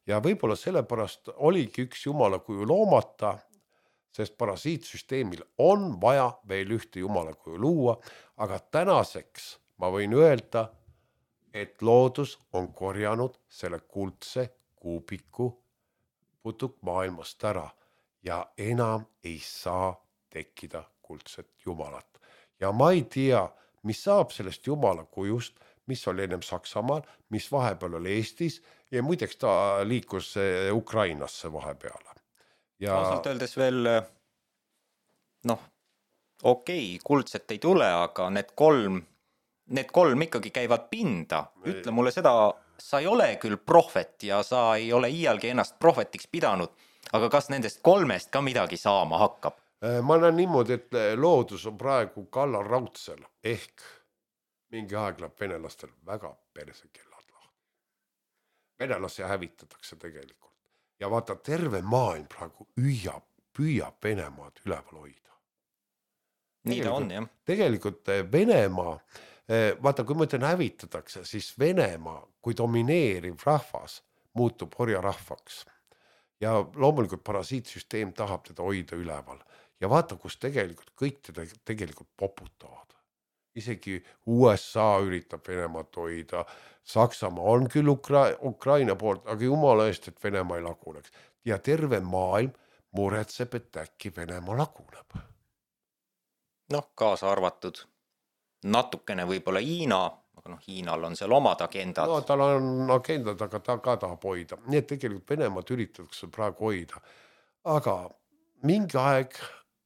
Ja võib-olla sellepärast oligi üks Jumala kuju loomata, sest parasiitsüsteemil on vaja veel ühte Jumala kuju luua, aga tänaseks ma võin öelda, et loodus on korjanud selle kuldse kuubiku putukmaailmast ära ja enam ei saa tekkida kuldset Jumalat. Ja ma ei tea, mis saab sellest Jumala kujust, mis oli ennem Saksamaal, mis vahepeal oli Eestis ja muideks ta liikus Ukrainasse vahepeale. Ja ausalt öeldes veel, kuldset ei tule, aga need kolm ikkagi käivad pinda. Ütle mulle seda, sa ei ole küll prohvet ja sa ei ole iialgi ennast prohvetiks pidanud, aga kas nendest kolmest ka midagi saama hakkab? Ma näen niimoodi, et loodus on praegu kallal raudsel ehk mingi aeg läheb venelastel väga persekellad lahti. Venelasi hävitatakse tegelikult. Ja vaata, terve maailm praegu püüab Venemaad üleval hoida. Nii ta on, jah. Tegelikult Venemaa, vaata, kui ma ütlen hävitatakse, siis Venemaa kui domineeriv rahvas muutub orjarahvaks. Ja loomulikult parasiitsüsteem tahab teda hoida üleval. Ja vaata, kus tegelikult kõik teda tegelikult poputavad. Isegi USA üritab Venemaad hoida, Saksamaa on küll Ukraina poolt, aga jumala eest, et Venemaa ei laguneks. Ja terve maailm muretseb, et äkki Venemaa laguneb. Kaasa arvatud natukene võib-olla Hiina, aga Hiinal on seal omad agendad. Tal on agendad, aga ta ka tahab hoida. Nii et tegelikult Venemaad üritatakse praegu hoida. Aga mingi aeg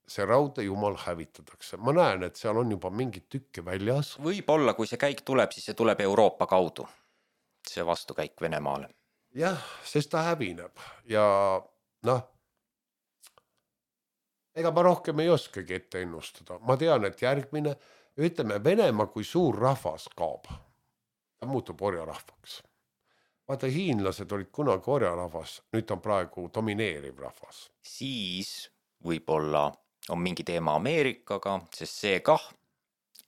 see raudne jumal hävitatakse. Ma näen, et seal on juba mingid tükke väljas. Võib-olla, kui see käik tuleb, siis see tuleb Euroopa kaudu. See vastukäik Venemaale. Jah, sest ta hävineb. Ja ega ma rohkem ei oskagi ette ennustada. Ma tean, et järgmine, ütleme, Venemaa kui suur rahvas kaob. Ta muutub orjarahvaks. Vaata, hiinlased olid kunagi orjarahvas, nüüd on praegu domineeriv rahvas. Siis võib-olla on mingi teema Ameerikaga, sest see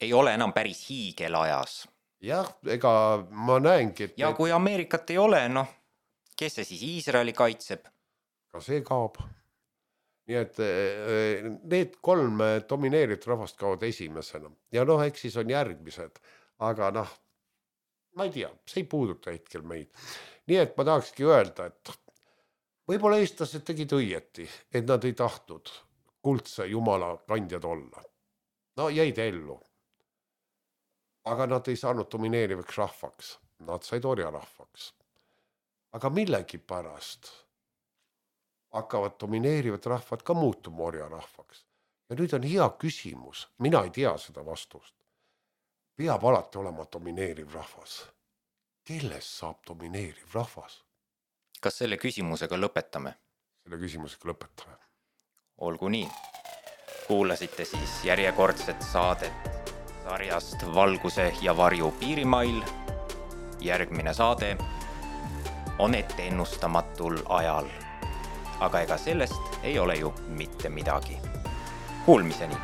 ei ole enam päris hiigelajas. Jah, ega ma näengi, et... Ja kui Ameerikat ei ole, kes see siis Iisraeli kaitseb? Ka see kaob. Nii et need 3 domineerivat rahvast kaovad esimesena. Ja eks siis on järgmised. Aga ma ei tea, see ei puuduta hetkel meid. Nii et ma tahakski öelda, et võib-olla eestlased tegid õieti, et nad ei tahtnud kuldse jumala kandjad olla. Jäid ellu. Aga nad ei saanud domineerivaks rahvaks. Nad said orjarahvaks. Aga millegi pärast hakkavad domineerivad rahvad ka muutuma orjarahvaks. Ja nüüd on hea küsimus. Mina ei tea seda vastust. Peab alati olema domineeriv rahvas. Kellest saab domineeriv rahvas? Kas selle küsimusega lõpetame? Selle küsimusega lõpetame. Olgu nii. Kuulasite siis järjekordset saadet sarjast Valguse ja varju piirimail. Järgmine saade on ette ennustamatul ajal. Aga ega sellest ei ole ju mitte midagi. Kuulmiseni!